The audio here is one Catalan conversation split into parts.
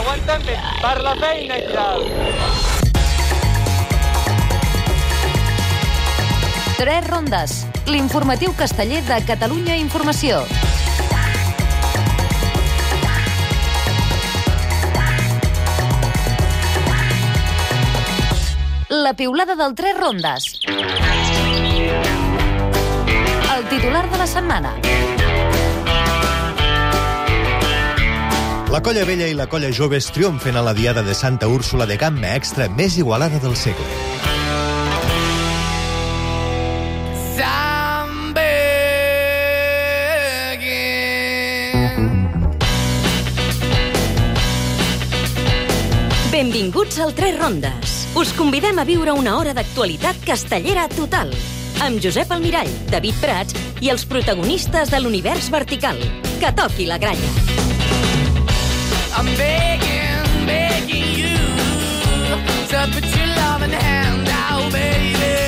Aguanten bé, per la feina i tal. 3 rondes, l'informatiu casteller de Catalunya Informació. La piulada del 3 rondes. El titular de la setmana. La colla vella i la colla joves triomfen a la diada de Santa Úrsula de gamma extra més igualada del segle. Benvinguts al 3 rondes. Us convidem a viure una hora d'actualitat castellera total. Amb Josep Almirall, David Prats i els protagonistes de l'univers vertical. Que toqui la gralla. I'm begging, begging you to put your loving hand out, baby.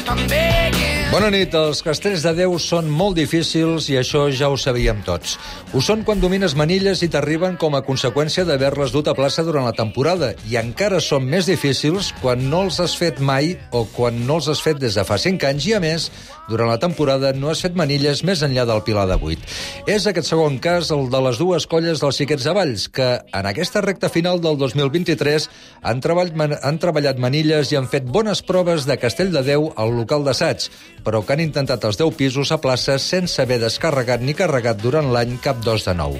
I'm begging. Bona nit. Els castells de Déu són molt difícils i això ja ho sabíem tots. Ho són quan domines manilles i t'arriben com a conseqüència d'haver-les dut a plaça durant la temporada, i encara són més difícils quan no els has fet mai o quan no els has fet des de fa 5 anys i, a més, durant la temporada no has fet manilles més enllà del Pilar de 8. És aquest segon cas el de les dues colles dels Xiquets de Valls, que en aquesta recta final del 2023 han treballat manilles i han fet bones proves de Castell de Déu al local d'assaig, però que han intentat els 10 pisos a plaça sense haver descarregat ni carregat durant l'any cap dos de nou.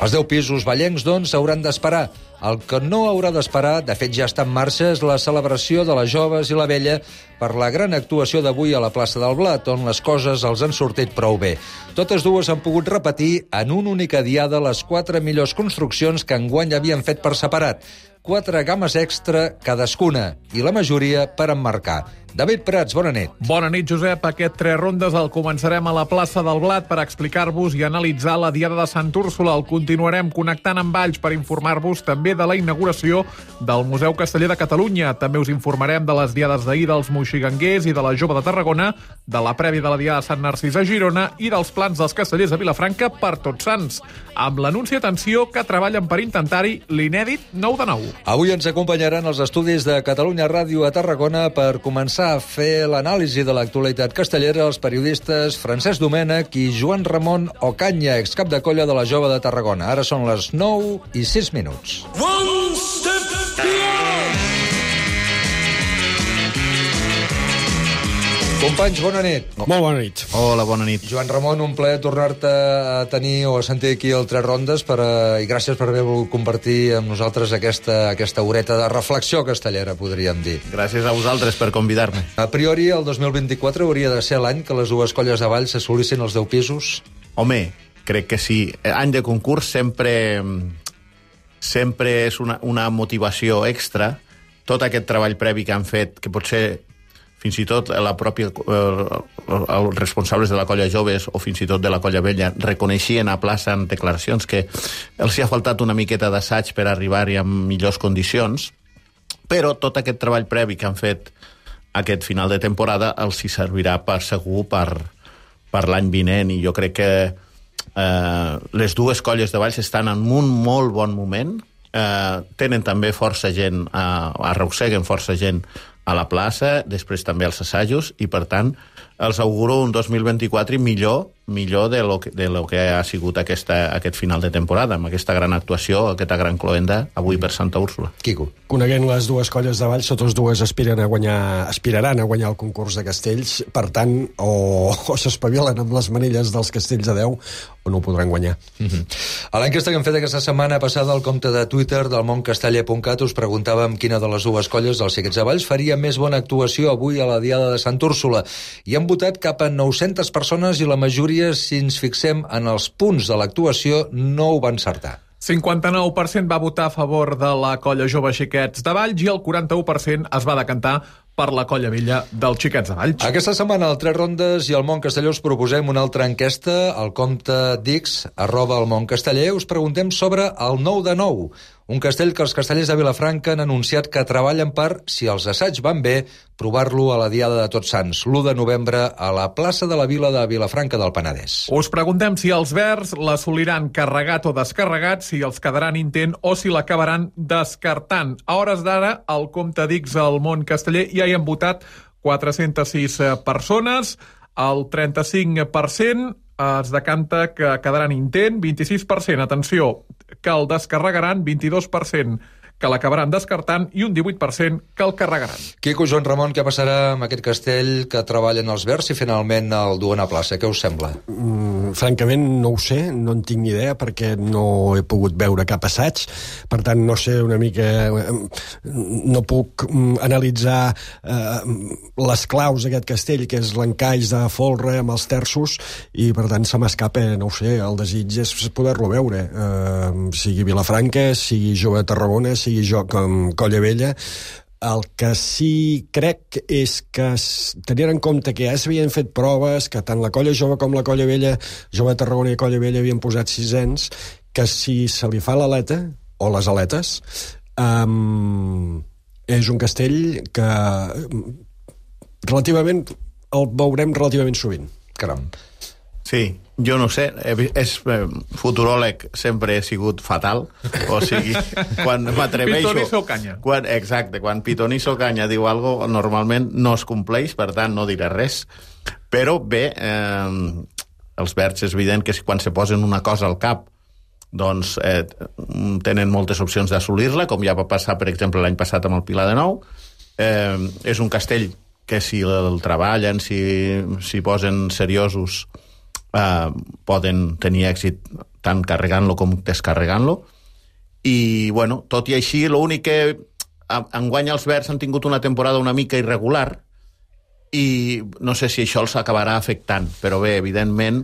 Els 10 pisos vallencs, doncs, hauran d'esperar. El que no haurà d'esperar, de fet ja està en marxa, és la celebració de les joves i la vella per la gran actuació d'avui a la plaça del Blat, on les coses els han sortit prou bé. Totes dues han pogut repetir en una única diada les 4 millors construccions que enguany havien fet per separat. 4 games extra cadascuna, i la majoria per emmarcar. David Prats, bona nit. Bona nit, Josep. Aquest 3 rondes el començarem a la plaça del Blat per explicar-vos i analitzar la Diada de Sant Úrsula. El continuarem connectant amb Valls per informar-vos també de la inauguració del Museu Casteller de Catalunya. També us informarem de les diades d'ahir dels moixiganguers i de la Jove de Tarragona, de la prèvia de la Diada de Sant Narcís a Girona i dels plans dels castellers de Vilafranca per Tots Sants, amb l'anunci, atenció, que treballen per intentar-hi l'inèdit 9 de 9. Avui ens acompanyaran els estudis de Catalunya Ràdio a Tarragona per començar a fer l'anàlisi de l'actualitat castellera els periodistes Francesc Domènech i Joan Ramon Ocaña, excap de colla de la Jove de Tarragona. Ara són les 9:06. One step beyond. Companys, bona nit. Molt bona nit. Hola, bona nit. Joan Ramon, un plaer tornar-te a tenir o a sentir aquí el 3 rondes i gràcies per haver volgut compartir amb nosaltres aquesta horeta de reflexió castellera, podríem dir. Gràcies a vosaltres per convidar-me. A priori, el 2024 hauria de ser l'any que les dues colles de Valls assolissin els 10 pisos? Home, crec que sí. Any de concurs sempre és una motivació extra. Tot aquest treball previ que han fet, que potser fins i tot els responsables de la colla joves o fins i tot de la colla vella reconeixien a plaça en declaracions que els hi ha faltat una miqueta d'assaig per arribar-hi en millors condicions, però tot aquest treball previ que han fet aquest final de temporada els hi servirà segur per l'any vinent, i jo crec que les dues colles de Valls estan en un molt bon moment, tenen també força gent, arrosseguen força gent a la plaça, després també als assajos, i per tant els auguro un 2024 millor de lo que ha sigut aquest final de temporada, amb aquesta gran actuació, aquesta gran cloenda avui per Santa Úrsula. Quico. Coneguent les dues colles de Valls, totes dues aspiraran a guanyar el concurs de castells, per tant, o s'espavilen amb les manilles dels castells de Déu o no ho podran guanyar. A l'enquesta que hem fet aquesta setmana passada al compte de Twitter del moncasteller.cat us preguntàvem quina de les dues colles dels Xiquets de Valls faria més bona actuació avui a la Diada de Sant Úrsula, i han votat cap a 900 persones i la majoria, si ens fixem en els punts de l'actuació, no ho va encertar. 59% va votar a favor de la colla Jove Xiquets de Valls i el 41% es va decantar per la Colla Vella dels Xiquets de Valls. Aquesta setmana, al 3 rondes i al Mont Castelló us proposem una altra enquesta al compte Dix, @elmontcasteller. Us preguntem sobre el 9 de 9, un castell que els castellers de Vilafranca han anunciat que treballen per, si els assaigs van bé, provar-lo a la Diada de Tots Sants, l'1 de novembre, a la plaça de la Vila de Vilafranca del Penedès. Us preguntem si els verds l'assoliran carregat o descarregat, si els quedaran intent o si l'acabaran descartant. A hores d'ara, al compte Dix al Mont Casteller ja hi han votat 406 persones, el 35% es decanta que quedaran intent, 26%, atenció, que el descarregaran, 22% que l'acabaran descartant i un 18% que el carregaran. Quico, Joan Ramon, què passarà amb aquest castell que treballen els verds si finalment el duen a plaça? Què us sembla? Francament, no ho sé, no en tinc ni idea perquè no he pogut veure cap assaig, per tant no sé una mica, no puc analitzar les claus d'aquest castell, que és l'encaix de folre amb els terços, i per tant se m'escapa, no ho sé, el desig és poder-lo veure, sigui Vilafranca, sigui Jove de Tarragona, sigui jo com Colla Vella. El que sí crec és que, tenint en compte que ja s'havien fet proves, que tant la Colla Jove com la Colla Vella, Jove de Tarragona i Colla Vella havien posat sisens, que si se li fa l'aleta, o les aletes, és un castell que relativament el veurem relativament sovint. Caram. Sí, jo no sé, futuròleg sempre he sigut fatal, o sigui, quan m'atreveixo... Pitonisso Canya. Exacte, quan Pitonisso Canya diu alguna cosa, normalment no es compleix, per tant no diré res, però bé, els verds és evident que quan se posen una cosa al cap, doncs tenen moltes opcions d'assolir-la, com ja va passar, per exemple, l'any passat amb el Pilar de Nou. És un castell que si el treballen, si posen seriosos, poden tenir èxit tant carregant-lo com descarregant-lo. I, bueno, tot i així, l'únic que enguany els verds han tingut una temporada una mica irregular i no sé si això els acabarà afectant, però bé, evidentment,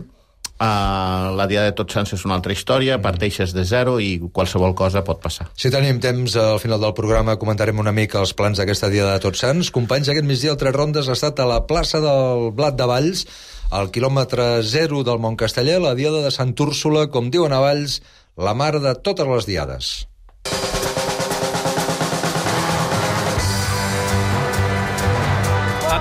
la Diada de Tots Sants és una altra història, parteixes de zero i qualsevol cosa pot passar. Si tenim temps, al final del programa comentarem una mica els plans d'aquesta Diada de Tots Sants. Companys, aquest migdia el 3 rondes ha estat a la plaça del Blat de Valls, al quilòmetre 0 del Mont Casteller, la Diada de Sant Úrsula, com diuen a Valls, la mare de totes les diades.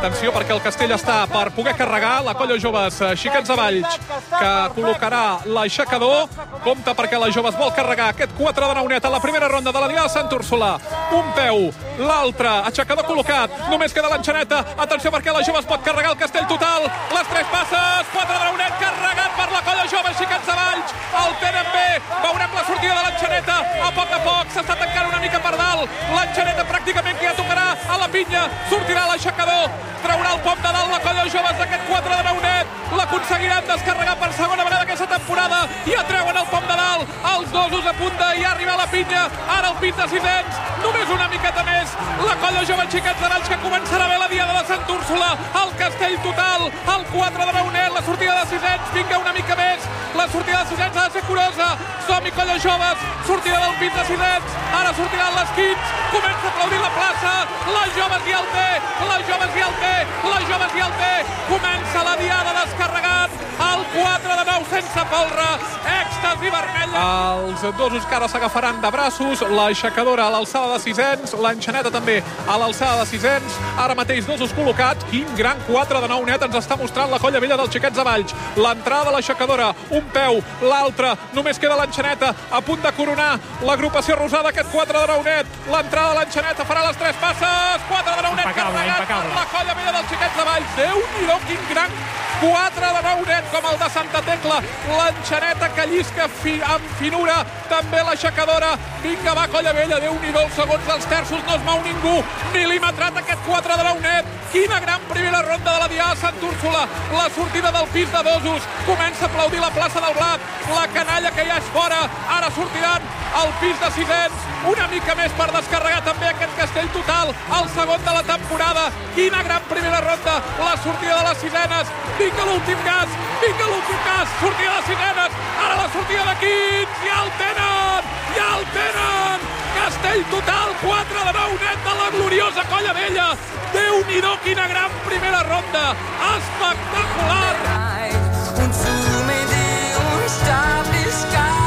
Atenció, perquè el castell està per poder carregar. La Colla Joves Xiquets de Valls, que col·locarà l'aixecador. Compte perquè la Joves vol carregar aquest 4 de 9 net a la primera ronda de la Diada de Sant Úrsula. Un peu, l'altre, aixecador col·locat. Només queda l'enxaneta. Atenció, perquè la Joves pot carregar el castell total. Les 3 passes, 4 de 9 net, carregat per la Colla Joves Xiquets de Valls. El tenen bé. Veurem la sortida de l'enxaneta. A poc s'està tancant una mica per dalt. L'enxaneta pràcticament que ja tocarà a la pinya. Sortirà l'aixecador. Traurà el pom de dalt la Colla Joves d'aquest 4 de 9 net. L'aconseguiran descarregar per segona vegada aquesta temporada i atreuen el pom de dalt. Els dosos a punt de ja arribar a la pinya. Ara el pit de sisens. Només una miqueta més. La Colla Joves Xiquets de Valls, que començarà bé la Diada de Sant Úrsula. El castell total. El 4 de 9 net. La sortida de sisens. Vinga una mica més. La sortida de sisens ha de ser curosa. Som-hi, Colla Joves. Sortida del pit de sisens. Ara sortiran les quins. Comença a aplaudir la plaça. La Joves i el té. La Joves i el té. La Joves i el té. Comença la Diada descarregat. El 4 de 9 sense folre. Èxtasi vermella. Els dosos que ara s'agafaran de braços. L'aixecadora a l'alçada de sisens. L'enxaneta també a l'alçada de sisens. Ara mateix dosos col·locats. Quin gran 4 de 9 net ens està mostrant la Colla Vella dels Xiquets de Valls. L'entrada de l'aixecadora. Un peu, l'altre. Només queda l'enxaneta a punt de coronar l'agrupació rosada aquest 4 de 9 net. L'entrada de l'enxaneta farà les 3 passes. 4 de 9 net carregat per la Colla Vella dels Xiquets de Valls. Déu-n'hi-do, quin gran 4 de 9 net com el de Santa Tecla. L'enxaneta que llisca amb finura. També l'aixecadora. Vinga, va, Colla Vella. Déu-n'hi-do, segons els terços no es mou ningú. Mil·límetrat aquest 4 de 9 net. Quina gran primera ronda de la Diada de Sant Úrsula. La sortida del pis de dosos. Comença a aplaudir la plaça del Blat. La canalla que ja és fora. Ara sortiran al pis de sisens. Una mica més per descarregar també aquest castell total. El segon de la temporada. Quina gran primera ronda. La sortida de les sisenes. Vinga l'últim gas. Vinga l'últim gas. Sortida de sisenes. Ara la sortida de quins. Ja el tenen. Ja el tenen. Castell total. 4 de 9 net de la gloriosa Colla Vella. Déu-n'hi-do, quina gran primera ronda. Espectacular. Und zu mir die Unsterblichkeit.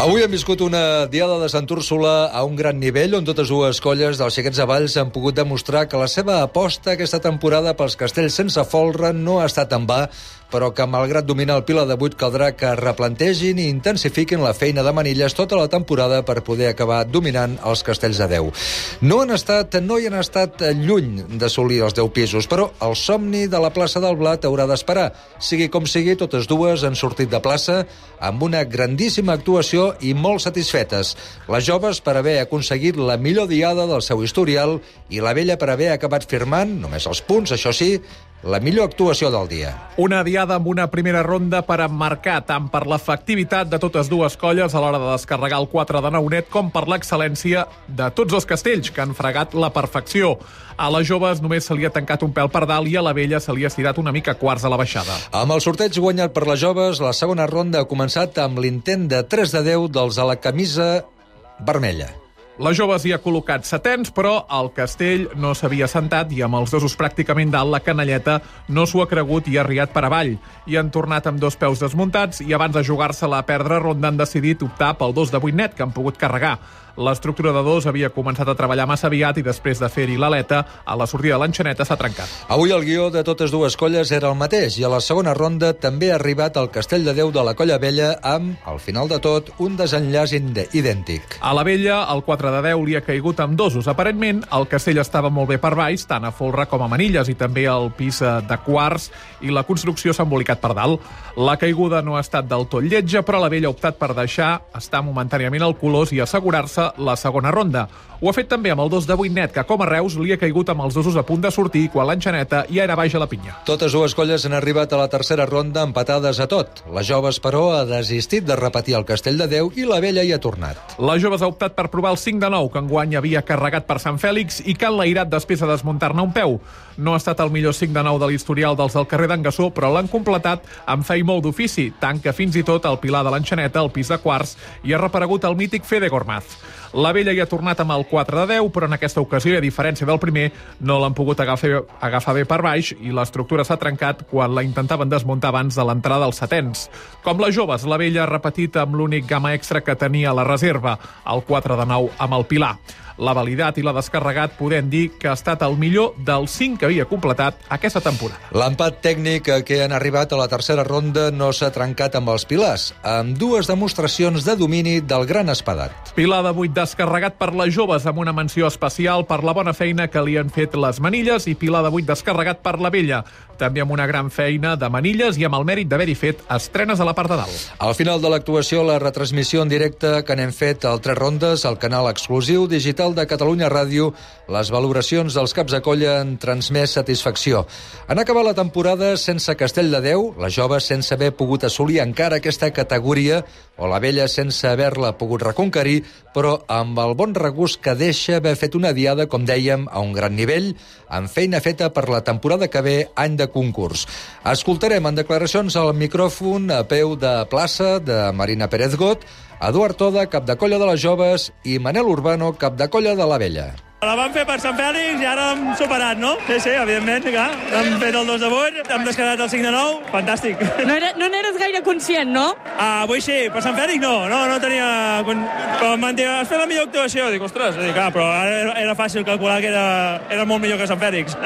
Avui hem viscut una diada de Sant Úrsula a un gran nivell, on totes dues colles dels Xiquets de Valls han pogut demostrar que la seva aposta aquesta temporada pels castells sense folre no ha estat en va, però que, malgrat dominar el Pilar de 8, caldrà que replantegin i intensifiquin la feina de manilles tota la temporada per poder acabar dominant els castells de 10. No hi han estat lluny d'assolir els 10 pisos, però el somni de la plaça del Blat haurà d'esperar. Sigui com sigui, totes dues han sortit de plaça amb una grandíssima actuació i molt satisfetes. Les joves per haver aconseguit la millor diada del seu historial i la vella per haver acabat firmant, només els punts, això sí, la millor actuació del dia. Una diada amb una primera ronda per emmarcar tant per l'efectivitat de totes dues colles a l'hora de descarregar el 4 de Naunet com per l'excel·lència de tots els castells, que han fregat la perfecció. A les joves només se li ha tancat un pèl per dalt i a la vella se li ha estirat una mica quarts a la baixada. Amb el sorteig guanyat per les joves, la segona ronda ha començat amb l'intent de 3 de 10 dels a la camisa vermella. Les joves hi ha col·locat setens, però el castell no s'havia sentat i amb els dosos pràcticament dalt, la canalleta no s'ho ha cregut i ha riat per avall. I han tornat amb 2 peus desmuntats i abans de jugar-se-la a perdre ronda han decidit optar pel 2 de 8 net, que han pogut carregar. L'estructura de 2 havia començat a treballar massa aviat i després de fer-hi l'aleta, a la sortida de l'enxaneta s'ha trencat. Avui el guió de totes dues colles era el mateix i a la segona ronda també ha arribat el castell de 10 de la Colla Vella amb, al final de tot, un desenllaç idèntic. A la vella, el 4 de 10 li ha caigut amb dosos. Aparentment, el castell estava molt bé per baix, tant a folre com a manilles, i també el pis de quarts, i la construcció s'ha embolicat per dalt. La caiguda no ha estat del tot lletja, però la vella ha optat per deixar estar momentàniament al colors i assegurar-se la segona ronda. Ho ha fet també amb el 2 de 8 net, que com a Reus li ha caigut amb els dosos a punt de sortir quan l'enxaneta ja era baix a la pinya. Totes dues colles han arribat a la tercera ronda empatades a tot. Les joves, però, ha desistit de repetir el castell de 10 i la vella hi ha tornat. Les joves ha optat per provar el 5 de 9, que enguany havia carregat per Sant Fèlix i que han enlairat després de desmuntar-ne un peu. No ha estat el millor 5 de 9 de l'historial dels del carrer d'en Gassó, però l'han completat amb fe i molt d'ofici, tant que fins i tot al Pilar de l'Enxaneta, el pis de quarts, hi ha reparegut el mític Fede Gormaz. La vella hi ha tornat amb el 4 de 10, però en aquesta ocasió, a diferència del primer, no l'han pogut agafar bé per baix i l'estructura s'ha trencat quan la intentaven desmuntar abans de l'entrada dels setens. Com les joves, la vella ha repetit amb l'únic gamma extra que tenia a la reserva, el 4 de 9 amb el Pilar. L'ha validat i l'ha descarregat, podent dir que ha estat el millor dels 5 que havia completat aquesta temporada. L'empat tècnic a què han arribat a la tercera ronda no s'ha trencat amb els pilars, amb 2 demostracions de domini del gran espadat. Pilar de 8 descarregat per les joves amb una menció especial per la bona feina que li han fet les manilles i Pilar de 8 descarregat per la vella, també amb una gran feina de manilles i amb el mèrit d'haver-hi fet estrenes a la part de dalt. Al final de l'actuació, la retransmissió en directe que n'hem fet al 3 rondes, al canal exclusiu digital de Catalunya Ràdio, les valoracions dels caps de colla han transmès satisfacció. Han acabat la temporada sense castell de 10, les joves sense haver pogut assolir encara aquesta categoria, o la vella sense haver-la pogut reconquerir, però amb el bon regust que deixa haver fet una diada, com dèiem, a un gran nivell, amb feina feta per la temporada que ve, any de concurs. Escoltarem en declaracions al micròfon a peu de plaça de Marina Pérez Got, Eduard Toda, cap de colla de les joves, i Manel Urbano, cap de colla de la vella. La vam fer per Sant Fèlix i ara hem superat, no? Sí, evidentment, clar. Hem fet el 2 de 8, hem descarregat el 5 de 9, fantàstic. No n'eres gaire conscient, no? Avui sí, per Sant Fèlix no tenia... Però m'han dit, has fet la millor actuació. Dic, ostres, però ara era fàcil calcular que era molt millor que Sant Fèlix.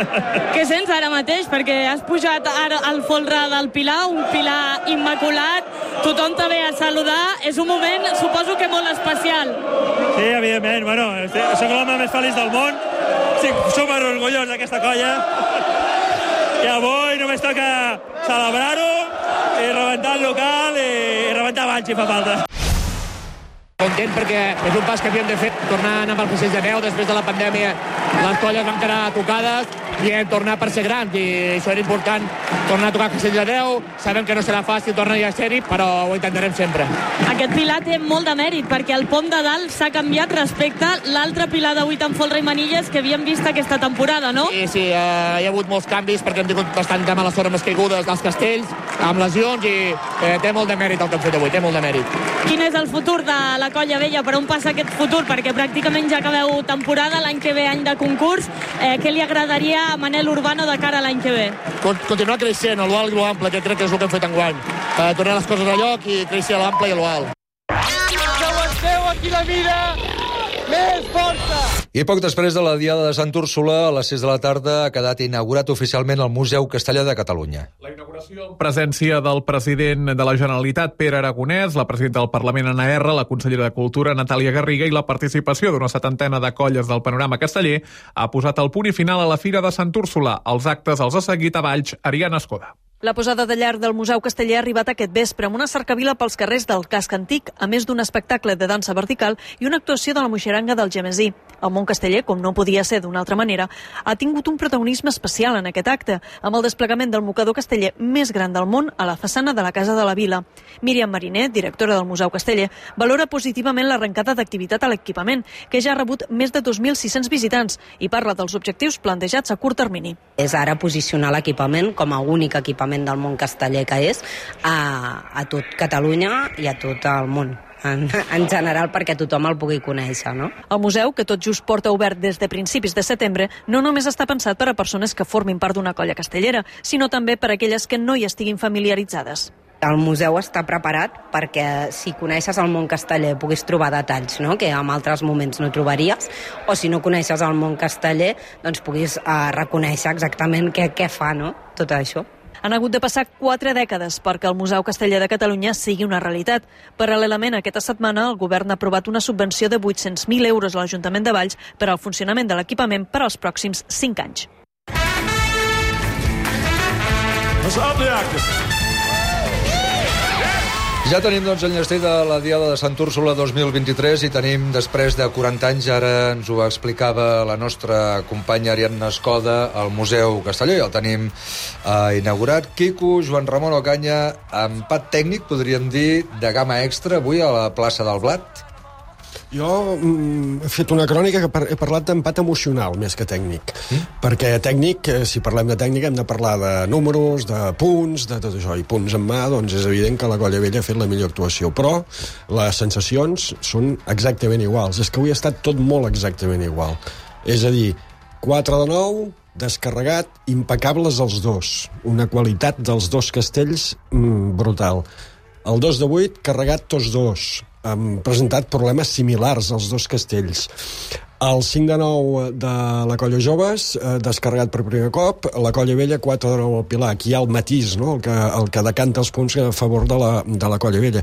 Què sents ara mateix? Perquè has pujat ara al folre del Pilar, un Pilar immaculat, tothom te ve a saludar, és un moment, suposo que molt especial. Sí, evidentment, bueno, soc l'home més feliç del món, estic super orgullós d'aquesta colla i avui només toca celebrar-ho i rebentar el local i rebentar Valls si fa falta. Content perquè és un pas que havíem de fer, tornant amb el procés de 10 després de la pandèmia. Les colles van quedar tocades i hem tornat per ser grans, i això era important, tornar a tocar Castell de Déu. Sabem que no serà fàcil tornar a ser-hi, però ho intentarem sempre. Aquest pilar té molt de mèrit, perquè el pom de dalt s'ha canviat respecte a l'altre pilar de 8 amb folre i manilles que havíem vist aquesta temporada, no? Sí, hi ha hagut molts canvis perquè hem tingut bastant de mala sort amb les caigudes dels castells, amb lesions, i té molt de mèrit el que hem fet avui, té molt de mèrit. Quin és el futur de la Colla Vella? Per on passa aquest futur? Perquè pràcticament ja acabeu temporada, l'any que ve any de concurs. Què li agradaria a Manel Urbano de cara a l'any que ve? Continuar creixent a l'alt i l'ample, que crec que és el que hem fet enguany. Tornar les coses a lloc i créixer a l'ample i a l'alt. Que aguanteu aquí la mira! Més força! I poc després de la Diada de Sant Úrsula, a les 6 de la tarda, ha quedat inaugurat oficialment el Museu Castellà de Catalunya. La inauguració en presència del president de la Generalitat, Pere Aragonès, la presidenta del Parlament, Anna R, la consellera de Cultura, Natàlia Garriga, i la participació d'una 70ena de colles del panorama casteller ha posat el punt i final a la Fira de Sant Úrsula. Els actes els ha seguit a Valls, Ariana Escoda. La posada de llar del Museu Casteller ha arribat aquest vespre amb una cercavila pels carrers del casc antic, a més d'un espectacle de dansa vertical i una actuació de la moixeranga del Gemesí. El món casteller, com no podia ser d'una altra manera, ha tingut un protagonisme especial en aquest acte, amb el desplegament del mocador casteller més gran del món a la façana de la Casa de la Vila. Míriam Mariner, directora del Museu Casteller, valora positivament l'arrencada d'activitat a l'equipament, que ja ha rebut més de 2.600 visitants, i parla dels objectius plantejats a curt termini. És ara posicionar l'equipament com a únic equipament del món casteller que és a tot Catalunya i a tot el món en general, perquè tothom el pugui conèixer, no? El museu, que tot just porta obert des de principis de setembre, no només està pensat per a persones que formin part d'una colla castellera, sinó també per a aquelles que no hi estiguin familiaritzades. El museu està preparat perquè si coneixes el món casteller puguis trobar detalls, no?, que en altres moments no trobaries, o si no coneixes el món casteller doncs puguis reconèixer exactament què fa, no?, tot això. Han hagut de passar 4 dècades perquè el Museu Casteller de Catalunya sigui una realitat. Paral·lelament, aquesta setmana, el govern ha aprovat una subvenció de 800.000 euros a l'Ajuntament de Valls per al funcionament de l'equipament per als pròxims 5 anys. Ja tenim, doncs, l'enllestí de la Diada de Sant Úrsula 2023 i tenim, després de 40 anys, ara ens ho explicava la nostra companya Ariadna Escoda, al Museu Casteller. El tenim inaugurat. Quico, Joan Ramon Ocaña, empat tècnic, podríem dir, de gamma extra, avui a la plaça del Blat. Jo he fet una crònica que he parlat d'empat emocional més que tècnic, perquè tècnic, si parlem de tècnica, hem de parlar de números, de punts, de tot això, i punts en mà, doncs és evident que la Colla Vella ha fet la millor actuació, però les sensacions són exactament iguals. És que avui ha estat tot molt exactament igual. És a dir, 4 de 9, descarregat, impecables els dos. Una qualitat dels dos castells brutal. El 2 de 8, carregat tots dos. Han presentat problemes similars als dos castells. El 5 de 9 de la Colla Joves, descarregat per primer cop. La Colla Vella, 4 de 9 al Pilar. Aquí hi ha el matís, no?, el que decanta els punts a favor de la Colla Vella.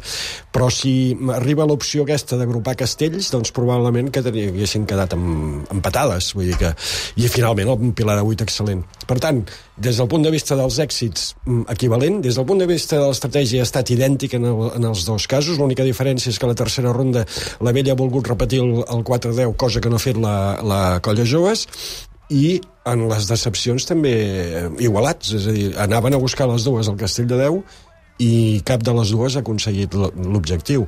Però si arriba l'opció aquesta d'agrupar castells, doncs probablement que haguessin quedat empatades. Vull dir que... I finalment el Pilar de 8 excel·lent. Per tant, des del punt de vista dels èxits, equivalent. Des del punt de vista de l'estratègia ha estat idèntic en els dos casos. L'única diferència és que a la tercera ronda la Vella ha volgut repetir el 4-10, cosa que no ha fet la Colla Joves, i en les decepcions també igualats. És a dir, anaven a buscar les dues al Castell de Déu i cap de les dues ha aconseguit l'objectiu.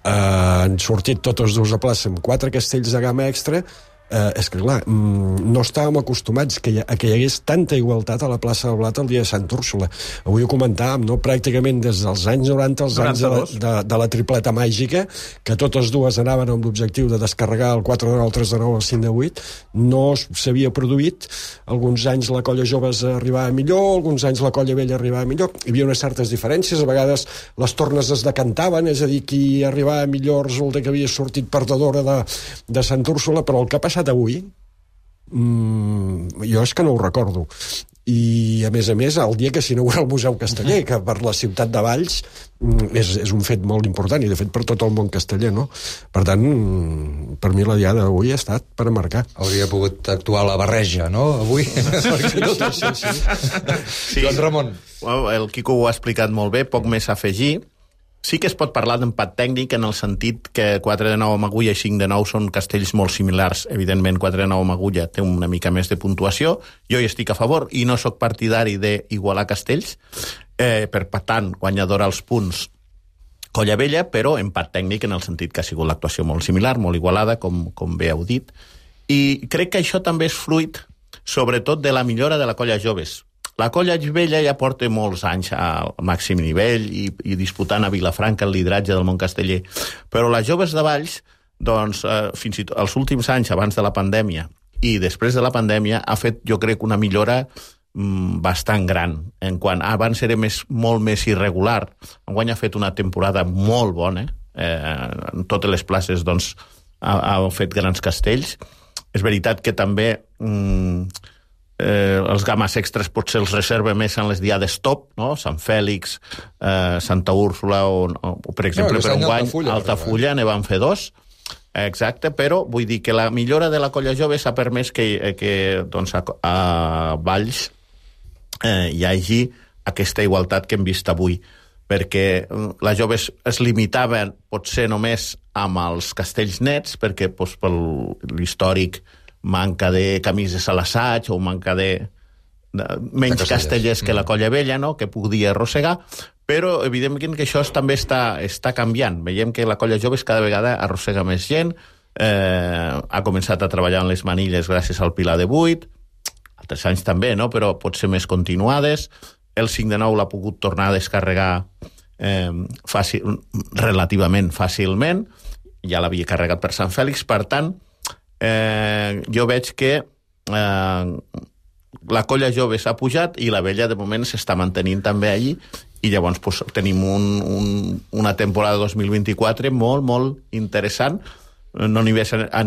Han sortit totes dues a plaça amb 4 castells de gamma extra. És que, clar, no estàvem acostumats que hi hagués tanta igualtat a la plaça del Blat el dia de Sant Úrsula. Avui ho comentàvem, no?, pràcticament des dels anys 90 als anys de la tripleta màgica, que totes dues anaven amb l'objectiu de descarregar el 4 de 9, el 3 de 9, el 5 de 8. No s'havia produït. Alguns anys la Colla Joves arribava millor, alguns anys la Colla Vella arribava millor. Hi havia unes certes diferències, a vegades les tornes es decantaven, és a dir, qui arribava millor resulta que havia sortit perdedora de Sant Úrsula, però el que ha passat avui, jo és que no ho recordo. I, a més, el dia que s'inaugura el Museu Casteller, que per la ciutat de Valls és un fet molt important, i de fet per tot el món casteller, no? Per tant, per mi la diada d'avui ha estat per marcar. Hauria pogut actuar la barreja, no?, avui? Sí. Joan Ramon. El Quico ho ha explicat molt bé, poc més a afegir. Sí que es pot parlar d'empat tècnic en el sentit que 4 de 9 amb agulla i 5 de 9 són castells molt similars. Evidentment, 4 de 9 amb agulla té una mica més de puntuació. Jo hi estic a favor i no sóc partidari d'igualar castells. Per tant, guanyadora als punts Colla Vella, però empat tècnic en el sentit que ha sigut l'actuació molt similar, molt igualada, com bé heu dit. I crec que això també és fruit, sobretot, de la millora de la Colla Joves. La Colla Vella ja porta molts anys al màxim nivell i disputant a Vilafranca el lideratge del món casteller. Però les Joves de Valls, doncs, fins i tot els últims anys abans de la pandèmia i després de la pandèmia, ha fet, jo crec, una millora bastant gran. En quant abans era molt més irregular, enguany ha fet una temporada molt bona. En totes les places doncs, ha fet grans castells. És veritat que també els games extras potser els reserva més en les diades top, no? Sant Fèlix, Santa Úrsula o per exemple, per enguany Altafulla ne van fer 2. Exacte, però vull dir que la millora de la Colla Jove s'ha permès que doncs, a Valls hi hagi aquesta igualtat que hem vist avui, perquè les joves es limitaven potser només amb els castells nets, perquè doncs, per l'històric manca de camises a l'assaig o manca de menys castellers que la Colla Vella, no? Que podia arrossegar, però evidentment que això també està canviant. Veiem que la Colla Joves cada vegada arrossega més gent, ha començat a treballar en les manilles gràcies al Pilar de 8, altres anys també, no? Però potser més continuades. El 5 de 9 l'ha pogut tornar a descarregar relativament fàcilment, ja l'havia carregat per Sant Fèlix, per tant, jo veig que la Colla Jove s'ha pujat i la Vella de moment s'està mantenint també allí, i llavors pues, tenim una temporada 2024 molt, molt interessant, no només a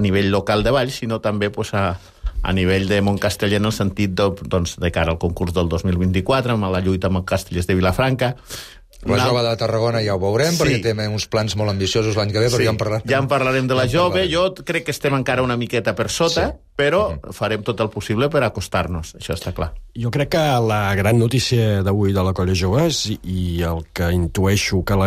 nivell local de Valls, sinó també pues, a nivell de Montcasteller, en el sentit de cara al concurs del 2024, amb la lluita amb els castellers de Vilafranca. La jove de Tarragona ja ho veurem, perquè té uns plans molt ambiciosos l'any que ve, però ja en parlarem de la jove. Jo crec que estem encara una miqueta per sota, però farem tot el possible per acostar-nos, això està clar. Jo crec que la gran notícia d'avui de la Colla Joves i el que intueixo que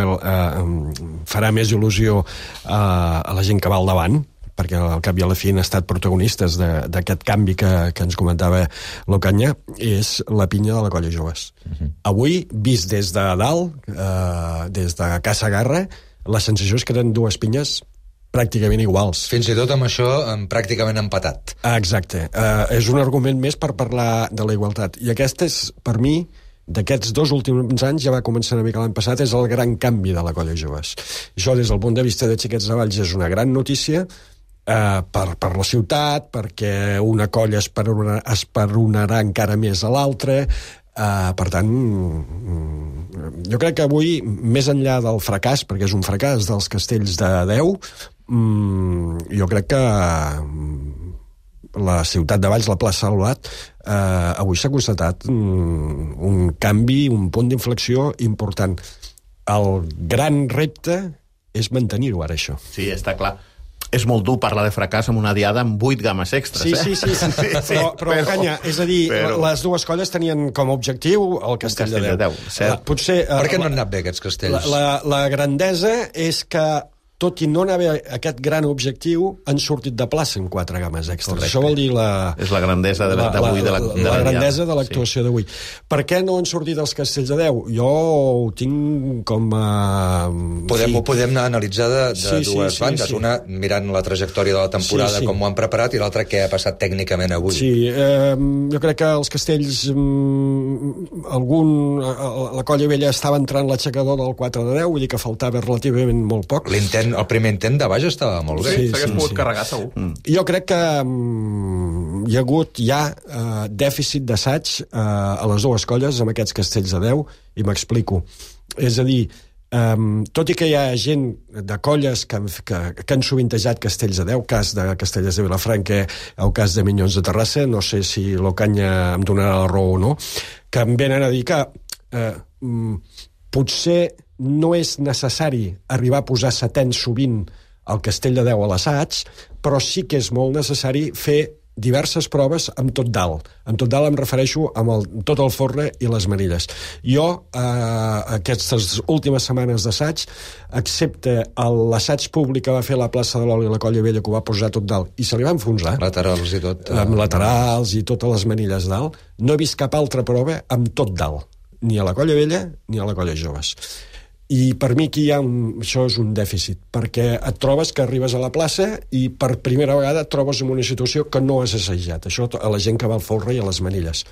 farà més il·lusió a la gent que va al davant, perquè al cap i a la fi han estat protagonistes d'aquest canvi que ens comentava l'Ocaña, és la pinya de la Colla Joves. Avui, vist des de dalt, des de Casa Garra, la sensació és que eren dues pinyes pràcticament iguals. Fins i tot amb això pràcticament empatat. Exacte. És un argument més per parlar de la igualtat. I aquest és, per mi, d'aquests 2 últims anys, ja va començar una mica l'any passat, és el gran canvi de la Colla Joves. Això, des del punt de vista de Xiquets de Valls, és una gran notícia, per la ciutat, perquè una colla esperonarà encara més a l'altra. Per tant, jo crec que avui, més enllà del fracàs, perquè és un fracàs dels castells de 10, jo crec que la ciutat de Valls, la plaça Salvat, avui s'ha constatat un canvi, un punt d'inflexió important. El gran repte és mantenir-ho ara, això. Sí, està clar. És molt dur parlar de fracàs amb una diada amb 8 games extras. Sí. Però Canya, és a dir, les dues colles tenien com a objectiu el castell de 10. Potser, per què no han anat bé aquests castells? La grandesa és que, tot i no anar bé aquest gran objectiu, han sortit de plaça en 4 games extras. Correcte. Això vol dir és la grandesa d'avui. La grandesa de l'actuació d'avui. Per què no han sortit els castells de 10? Jo ho tinc com a... Ho podem analitzar de dues bandes. Una, mirant la trajectòria de la temporada, com ho han preparat, i l'altra, què ha passat tècnicament avui. Sí, jo crec que els castells... La Colla Vella estava entrant l'aixecador del 4 de 10, vull dir que faltava relativament molt poc. El primer intent de baix estava molt bé. S'hagués pogut carregar, segur. Jo crec que hi ha hagut dèficit d'assaig a les dues colles amb aquests castells de 10, i m'explico. És a dir, tot i que hi ha gent de colles que han sovintejat castells de 10, cas de Castellers de Vilafranca o cas de Minyons de Terrassa, no sé si l'Ocaña em donarà la raó o no, que em venen a dir que potser no és necessari arribar a posar setens sovint al castell de 10 a l'assaig, però sí que és molt necessari fer diverses proves amb tot dalt. Amb tot dalt em refereixo amb tot el folre i les manilles. Jo, aquestes últimes setmanes d'assaig, excepte l'assaig públic que va fer a la plaça de l'Oli i la Colla Vella, que ho va posar tot dalt, i se li va enfonsar. Laterals i tot. Amb laterals i totes les manilles dalt. No he vist cap altra prova amb tot dalt. Ni a la Colla Vella ni a la Colla Joves. I per mi aquí això és un dèficit, perquè et trobes que arribes a la plaça i per primera vegada et trobes en una situació que no has assajat. Això a la gent que va al folre i a les manilles.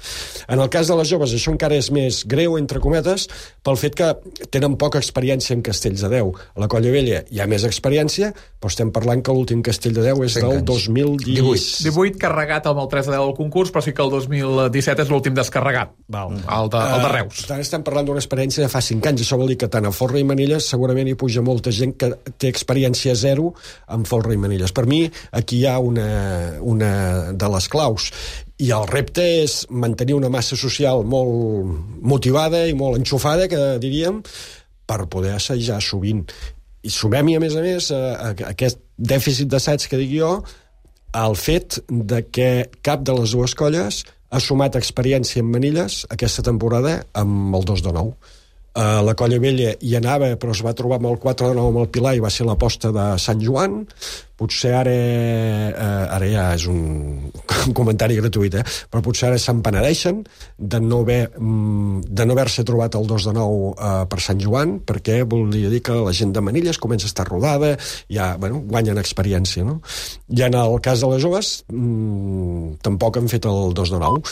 En el cas de les joves, això encara és més greu, entre cometes, pel fet que tenen poca experiència en castells de 10. A la Colla Vella hi ha més experiència, però estem parlant que l'últim castell de 10 és del 2018. 18 carregat amb el 3 de 10 del concurs, però sí que el 2017 és l'últim descarregat. El de Reus. Per tant, estem parlant d'una experiència de fa 5 anys. Això vol dir que tant a folre i manilles segurament hi puja molta gent que té experiència zero amb folre i manilles. Per mi aquí hi ha una de les claus, i el repte és mantenir una massa social molt motivada i molt enxufada, que diríem, per poder assajar sovint. I sumem-hi, a més, a aquest dèficit d'assaig que dic jo, el fet de que cap de les dues colles ha sumat experiència en manilles aquesta temporada amb el 2 de 9. La Colla Vella hi anava, però es va trobar amb el 4 de 9 amb el Pilar i va ser l'aposta de Sant Joan. Potser ara ja és un comentari gratuït, però potser ara se'n penedeixen de no haver-se trobat el 2 de 9 per Sant Joan, perquè volia dir que la gent de manilles comença a estar rodada, ja guanyen experiència, no? I en el cas de les joves tampoc han fet el 2 de 9,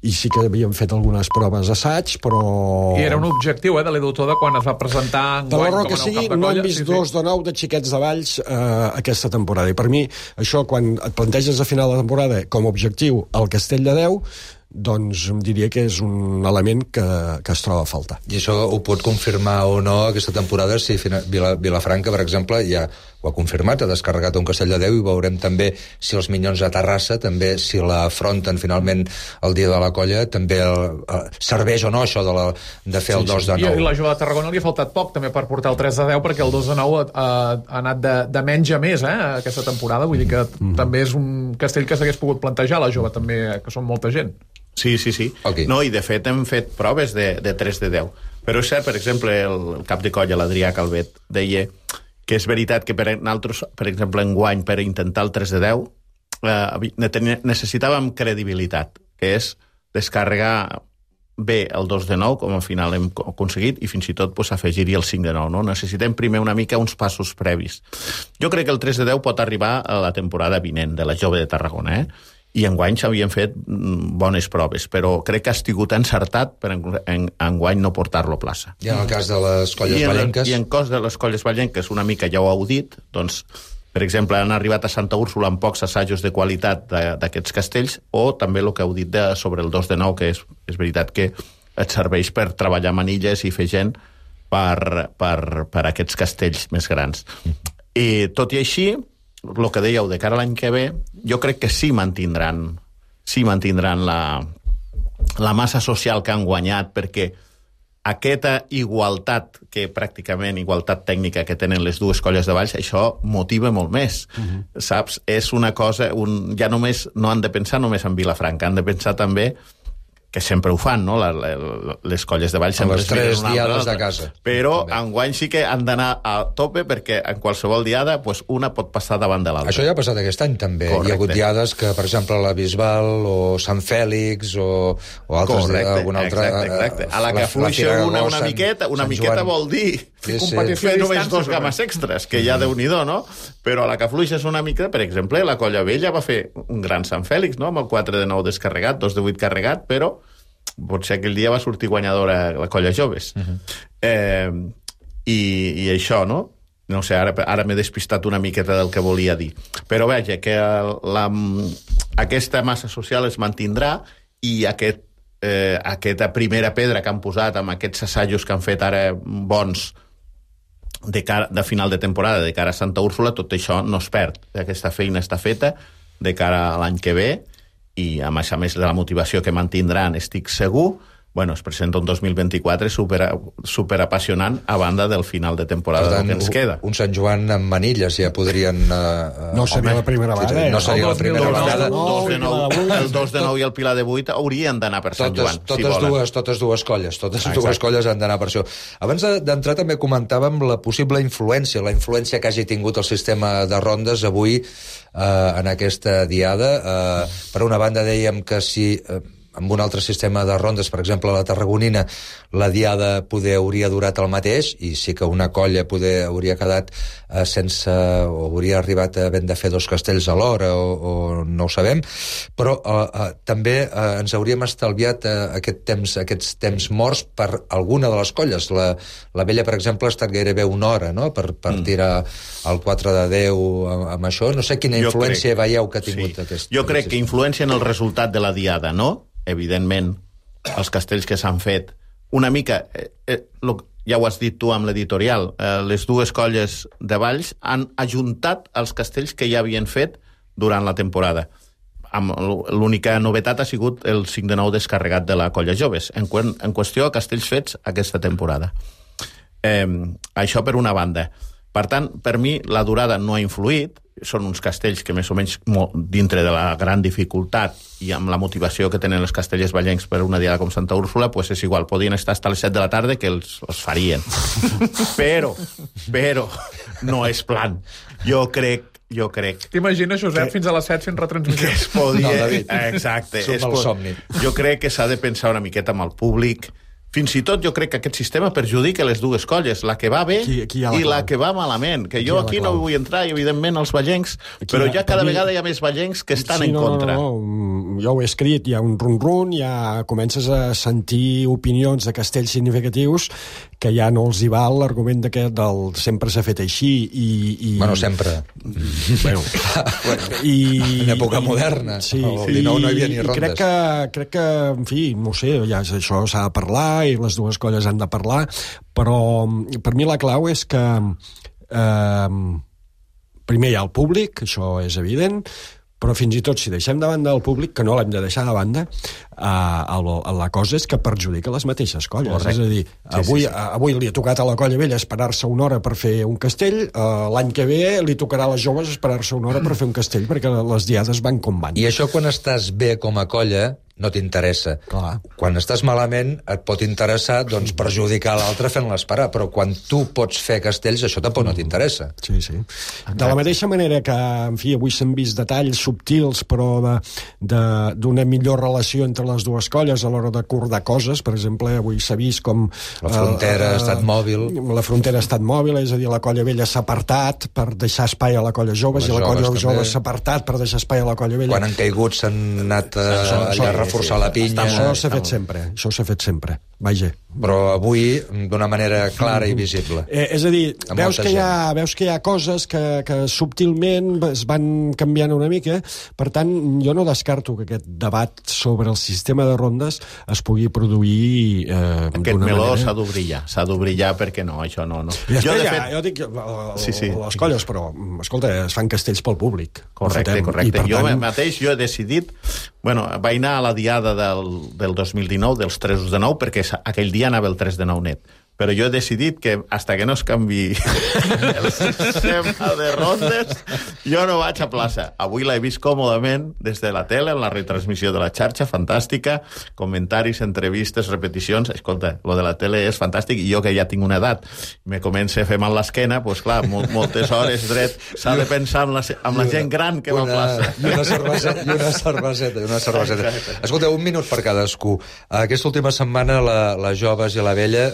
i sí que havíem fet algunes proves d'assaig, però... I era un objectiu, de l'Edu Toda, quan es va presentar enguany com a nou cap de colla. No hem vist 2 de 9 de xiquets de Valls aquesta temporada. I per mi, això, quan et planteges a final de temporada com a objectiu el castell de 10, doncs em diria que és un element que es troba a faltar. I això ho pot confirmar o no aquesta temporada, si Vilafranca, per exemple, ja ho ha confirmat, ha descarregat un castell de 10, i veurem també si els Minyons a Terrassa, també si l'afronten finalment el dia de la colla, també serveix o no això de fer el 2 de 9. I la Jove de Tarragona li ha faltat poc també per portar el 3 de 10, perquè el 2 de 9 ha anat de menys a més aquesta temporada, vull dir que també és un castell que s'hagués pogut plantejar, la Jove també, que són molta gent. Sí. Okay. No, i de fet hem fet proves de 3 de 10. Però és cert, per exemple, el cap de colla, l'Adrià Calvet, deia que és veritat que per nosaltres, per exemple, enguany, per intentar el 3 de 10, necessitàvem credibilitat, que és descarregar bé el 2 de 9, com al final hem aconseguit, i fins i tot afegir-hi el 5 de 9. No? Necessitem primer una mica uns passos previs. Jo crec que el 3 de 10 pot arribar a la temporada vinent de la Jove de Tarragona, i enguany s'havien fet bones proves, però crec que ha estigut encertat per enguany no portar-lo a plaça. I en el cas de les colles vallenques? I en el cas de les colles vallenques, una mica ja ho heu dit, doncs, per exemple, han arribat a Santa Úrsula amb pocs assajos de qualitat d'aquests castells, o també el que heu dit sobre el 2 de 9, que és veritat que et serveix per treballar manilles i fer gent per aquests castells més grans. I tot i així, el que dèieu de cara a l'any que ve, jo crec que sí mantindran la massa social que han guanyat, perquè aquesta igualtat, que pràcticament igualtat tècnica que tenen les dues colles de Valls, això motiva molt més, saps? És una cosa, ja només no han de pensar només en Vilafranca, han de pensar també, que sempre ho fan, no? Les colles de Valls sempre les 3 diades de casa. Però enguany sí que han d'anar a tope, perquè en qualsevol diada una pot passar davant de l'altra. Això ja ha passat aquest any també. Correcte. Hi ha hagut diades que, per exemple, la Bisbal o Sant Fèlix o altres... Correcte, exacte. A la que fluixa una miqueta vol dir fer només 2 games extres, que ja Déu-n'hi-do, no? Però a la que fluixes una mica, per exemple, la Colla Vella va fer un gran Sant Fèlix, no? Amb el 4 de 9 descarregat, 2 de 8 carregat, però potser aquell dia va sortir guanyadora la Colla Joves. I això, no? No sé, ara m'he despistat una miqueta del que volia dir. Però veja, que aquesta massa social es mantindrà, i aquesta primera pedra que han posat amb aquests assajos que han fet ara bons de final de temporada, de cara a Santa Úrsula, tot això no es perd. Aquesta feina està feta de cara a l'any que ve, i a més de la motivació que mantindran, estic segur, bueno, es presenta un 2024 super apassionant a banda del final de temporada per tant, que ens queda. Un Sant Joan amb manilles ja podrien... no seria la primera vegada. No seria la primera vegada. El 2 de 9 i el Pilar de 8 haurien d'anar per Sant Joan, si volen. Totes dues colles han d'anar per això. Abans d'entrar també comentàvem la possible influència, la influència que hagi tingut el sistema de rondes avui en aquesta diada. Per una banda dèiem que si amb un altre sistema de rondes, per exemple la tarragonina, la diada poder hauria durat el mateix, i sí que una colla poder hauria quedat sense, o hauria arribat a haver de fer 2 castells alhora, o no ho sabem, però també ens hauríem estalviat aquests temps morts per alguna de les colles. La Vella, per exemple, ha estat gairebé una hora, no?, per tirar el 4 de 10 amb això. No sé quina influència veieu que ha tingut aquest... Jo crec que influència en el resultat de la diada, no? Evidentment, els castells que s'han fet, una mica, ja ho has dit tu amb l'editorial, les dues colles de Valls han ajuntat els castells que ja havien fet durant la temporada. L'única novetat ha sigut el 5 de 9 descarregat de la colla Joves, en qüestió a castells fets aquesta temporada. Això per una banda. Per tant, per mi, la durada no ha influït, són uns castells que més o menys dintre de la gran dificultat i amb la motivació que tenen els castellers vallencs per una diada com Santa Úrsula, pues és igual, podien estar fins a les 7 de la tarda que els farien. Però no és plan. Jo crec... T'imagines, Josep, fins a les 7 fent retransmissió? Que es podia... No, David. Exacte. Som al somni. Jo crec que s'ha de pensar una miqueta amb el públic. Fins i tot jo crec que aquest sistema perjudica les dues colles, la que va bé i la que va malament. Que jo aquí no vull entrar, i evidentment els vallencs, però ja cada vegada hi ha més vallencs que estan en contra. No. Jo ho he escrit, hi ha un run-run, ja comences a sentir opinions de castells significatius que ja no els hi val l'argument d'aquest del sempre s'ha fet així i... Bueno, sempre. Bueno. En època moderna. Sí. El 19 no hi havia ni rondes. Crec que, en fi, no sé, ja això s'ha de parlar i les dues colles han de parlar, però per mi la clau és que primer hi ha el públic, això és evident, però fins i tot si deixem de banda el públic, que no l'hem de deixar de banda, la cosa és que perjudica les mateixes colles. Correcte. És a dir, avui li ha tocat a la colla vella esperar-se una hora per fer un castell, l'any que ve li tocarà a les joves esperar-se una hora per fer un castell, perquè les diades van com van. I això quan estàs bé com a colla no t'interessa. Clar. Quan estàs malament et pot interessar doncs, perjudicar l'altre fent-la esperar, però quan tu pots fer castells això tampoc no t'interessa. Sí. De la mateixa manera que, en fi, avui s'han vist detalls subtils però d'una millor relació entre les dues colles a l'hora d'acordar coses. Per exemple, avui s'ha vist com... La frontera ha estat mòbil. La frontera ha estat mòbil, és a dir, la colla vella s'ha apartat per deixar espai a la colla joves i la colla joves s'ha apartat per deixar espai a la colla vella. Quan han caigut s'han anat allà a reforçar la pinya. Això s'ha fet sempre. Vaja. Però avui d'una manera clara i visible. És a dir, veus que hi ha coses que subtilment es van canviant una mica, per tant, jo no descarto que aquest debat sobre el sistema de rondes es pugui produir aquest meló s'ha d'obrir ja perquè no, això no. Jo dic les colles, però escolta, es fan castells pel públic. Correcte. Jo mateix he decidit, vaig anar a la diada del 2019 dels 3 de 9 perquè aquell dia anava el 3 de 9 net. Però jo he decidit que hasta que no es canvi el sistema de rondes jo no vaig a plaça. Avui l'he vist còmodament des de la tele, en la retransmissió de la xarxa, fantàstica, comentaris, entrevistes, repeticions. Escolta, lo de la tele és fantàstic, i jo que ja tinc una edat me comença a fer mal l'esquena, doncs clar, moltes hores dret, s'ha de pensar amb la gent gran que va a plaça. I una cerveseta. Escolta, un minut per cadascú. Aquesta última setmana les joves i la vella,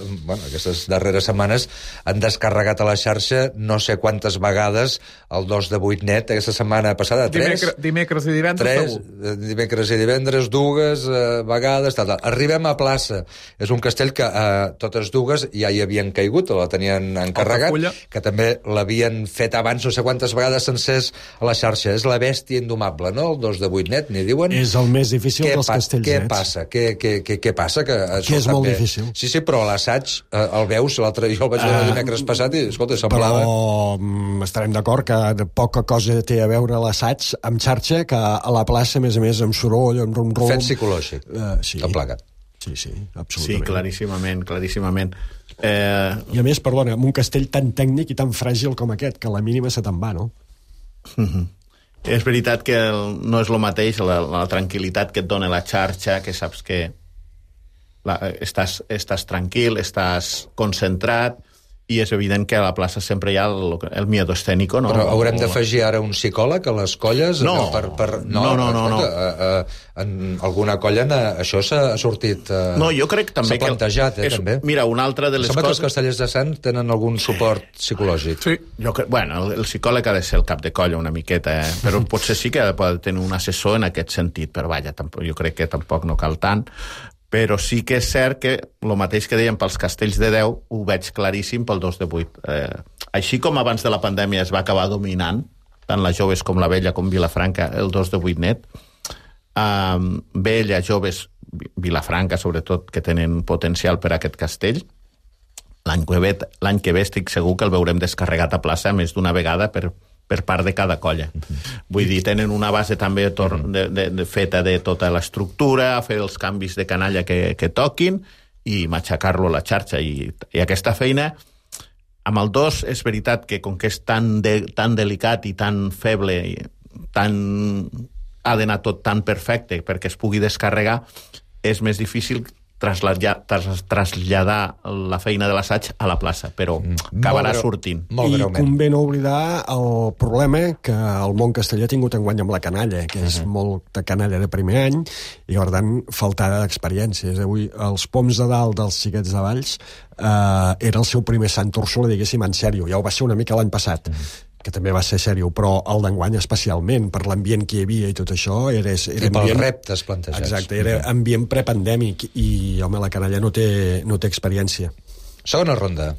aquestes darreres setmanes, han descarregat a la xarxa no sé quantes vegades el 2 de 8 net. Aquesta setmana passada, 3? Dimecres i divendres, segur. Dimecres i divendres, 2 vegades. Arribem a plaça. És un castell que totes dues ja hi havien caigut, o la tenien encarregat, que també l'havien fet abans no sé quantes vegades sencers a la xarxa. És la bèstia indomable, no? El 2 de 8 net, n'hi diuen. És el més difícil dels castells nets. Què passa? Que és molt difícil. Sí, però a l'assaig el veus, l'altre jo el vaig veure dimecres passat i, escolta, semblava... Però estarem d'acord que poca cosa té a veure l'assaig amb xarxa que a la plaça, a més, amb soroll, amb rum-rum... Fet psicològic, tot plegat. Sí, absolutament. Sí, claríssimament. I a més, perdona, amb un castell tan tècnic i tan fràgil com aquest, que a la mínima se te'n va, no? És veritat que no és el mateix la tranquil·litat que et dona la xarxa, que saps que estàs tranquil, estàs concentrat, i és evident que a la plaça sempre hi ha el miedo escénico, no? Però haurem d'afegir ara un psicòleg a les colles? No. No. En alguna colla això s'ha sortit... No, jo crec també s'ha plantejat, també. Mira, una altra de les coses... Sembla que els castellers de Sants tenen algun suport psicològic. Sí. Bueno, el psicòleg ha de ser el cap de colla una miqueta, però potser sí que ha de tenir un assessor en aquest sentit, però vaja, jo crec que tampoc no cal tant. Però sí que és cert que el mateix que dèiem pels castells de 10 ho veig claríssim pel 2 de 8. Així com abans de la pandèmia es va acabar dominant, tant la Joves com la Vella com Vilafranca, el 2 de 8 net, Vella, Joves, Vilafranca, sobretot, que tenen potencial per a aquest castell, l'any que ve estic segur que el veurem descarregat a plaça més d'una vegada per part de cada colla. Vull dir, tenen una base també feta de tota l'estructura, fer els canvis de canalla que toquin i matxacar-lo a la xarxa. I aquesta feina, amb el 2, és veritat que com que és tan delicat i tan feble, ha d'anar tot tan perfecte perquè es pugui descarregar, és més difícil traslladar la feina de l'assaig a la plaça, però acabarà sortint. I convé no oblidar el problema que el món castellà ha tingut enguany amb la canalla, que és molta canalla de primer any, i per tant, faltada d'experiències. Avui, els poms de dalt dels xiquets de Valls era el seu primer Sant Úrsula, diguéssim, en sèrio. Ja ho va ser una mica l'any passat, que també va ser sèrio, però el d'enguany especialment, per l'ambient que hi havia i tot això, era i pels reptes plantejats. Exacte, era ambient prepandèmic i, home, la canalla no té experiència. Segona ronda.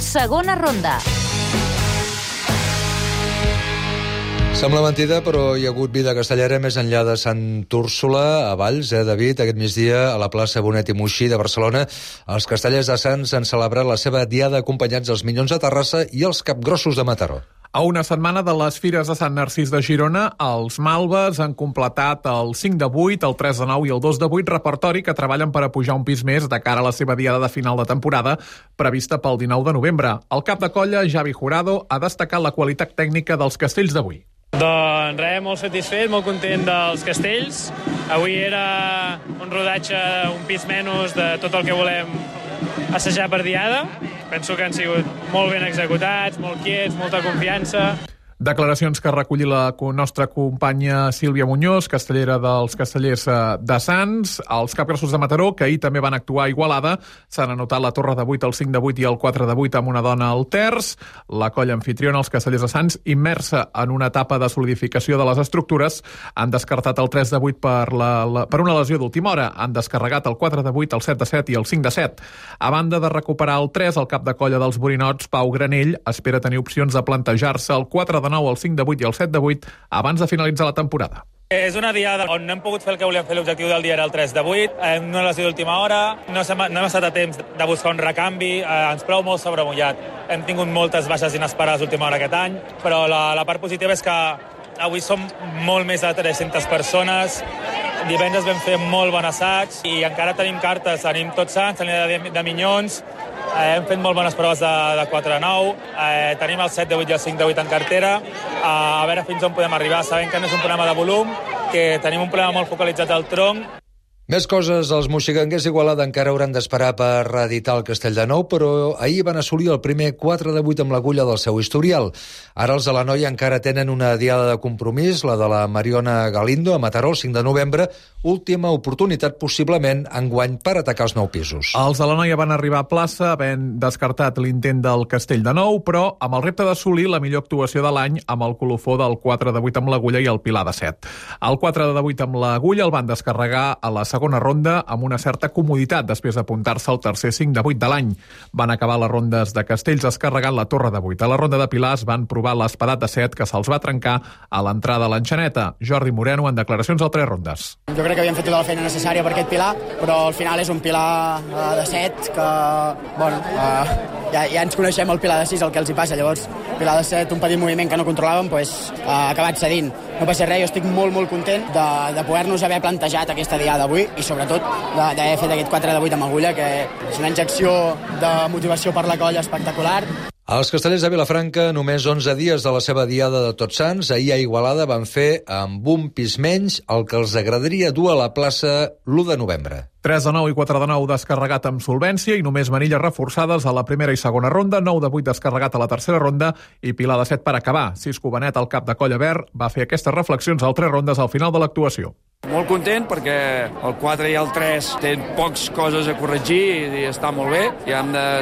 Segona ronda. Sembla mentida, però hi ha hagut vida castellera més enllà de Sant Úrsula, a Valls, David, aquest migdia a la plaça Bonet i Moixí de Barcelona. Els castellers de Sants han celebrat la seva diada acompanyats dels Minyons de Terrassa i els Capgrossos de Mataró. A una setmana de les Fires de Sant Narcís de Girona, els Malves han completat el 5 de 8, el 3 de 9 i el 2 de 8 repertori que treballen per a pujar un pis més de cara a la seva diada de final de temporada prevista pel 19 de novembre. El cap de colla, Javi Jurado, ha destacat la qualitat tècnica dels castells d'avui. Doncs res, molt satisfet, molt content dels castells. Avui era un rodatge, un pis menys de tot el que volem assajar per diada. Penso que han sigut molt ben executats, molt quiets, molta confiança. Declaracions que recolli la nostra companya Sílvia Muñoz, castellera dels castellers de Sants. Els Capgrossos de Mataró, que ahir també van actuar a Igualada, s'han anotat la torre de 8, el 5 de 8 i el 4 de 8 amb una dona al terç. La colla anfitriona, els castellers de Sants, immersa en una etapa de solidificació de les estructures, han descartat el 3 de 8 per una lesió d'última hora. Han descarregat el 4 de 8, el 7 de 7 i el 5 de 7. A banda de recuperar el 3, el cap de colla dels Borinots, Pau Granell, espera tenir opcions de plantejar-se el 4 de 9, el 5 de 8 i el 7 de 8 abans de finalitzar la temporada. És una diada on no hem pogut fer el que volíem fer. L'objectiu del dia era el 3 de 8, una lesió d'última hora, no hem estat a temps de buscar un recanvi, ens plou molt sobremullat. Hem tingut moltes baixes inesperades d'última hora aquest any, però la part positiva és que avui som molt més de 300 persones, divendres vam fer molt bon assaig i encara tenim cartes, tenim Tots Sants, tenim de Minyons, hem fet molt bones proves de 4 a 9, tenim el 7 de 8 i el 5 de 8 en cartera, a veure fins on podem arribar. Sabem que no és un problema de volum, que tenim un problema molt focalitzat al tronc. Més coses, els moxiganguers d'Igualada encara hauran d'esperar per reeditar el Castell de Nou, però ahir van assolir el primer 4 de 8 amb l'agulla del seu historial. Ara els de la Noia encara tenen una diada de compromís, la de la Mariona Galindo, a Mataró, el 5 de novembre, última oportunitat possiblement enguany per atacar els 9 pisos. Els de la Noia van arribar a plaça havent descartat l'intent del Castell de Nou, però amb el repte d'assolir la millor actuació de l'any amb el colofó del 4 de 8 amb l'agulla i el pilar de 7. El 4 de 8 amb l'agulla el van descarregar a la segona ronda amb una certa comoditat després d'apuntar-se al tercer 5 de 8 de l'any. Van acabar les rondes de castells descarregant la torre de 8. A la ronda de pilars van provar l'espadat de 7 que se'ls va trencar a l'entrada a l'enxaneta. Jordi Moreno en declaracions al 3 rondes. Jo crec que havíem fet tota la feina necessària per aquest pilar, però al final és un pilar de 7 que, bueno, ja ens coneixem el pilar de 6, el que els hi passa. Llavors, pilar de 7, un petit moviment que no controlàvem, ha acabat cedint. no passa res, jo estic molt, molt content de poder-nos haver plantejat aquesta diada d'avui i sobretot d'haver fet aquest 4 de 8 amb agulla, que és una injecció de motivació per la colla espectacular. Els castellers de Vilafranca, només 11 dies de la seva diada de Tots Sants, ahir a Igualada van fer amb un pis menys el que els agradaria dur a la plaça l'1 de novembre. 3 de 9 i 4 de 9 descarregat amb solvència i només manilles reforçades a la primera i segona ronda, 9 de 8 descarregat a la tercera ronda i Pilar de 7 per acabar. Cisco Benet, el cap de colla verd, va fer aquestes reflexions al 3 rondes al final de l'actuació. Molt content perquè el 4 i el 3 tenen pocs coses a corregir i està molt bé.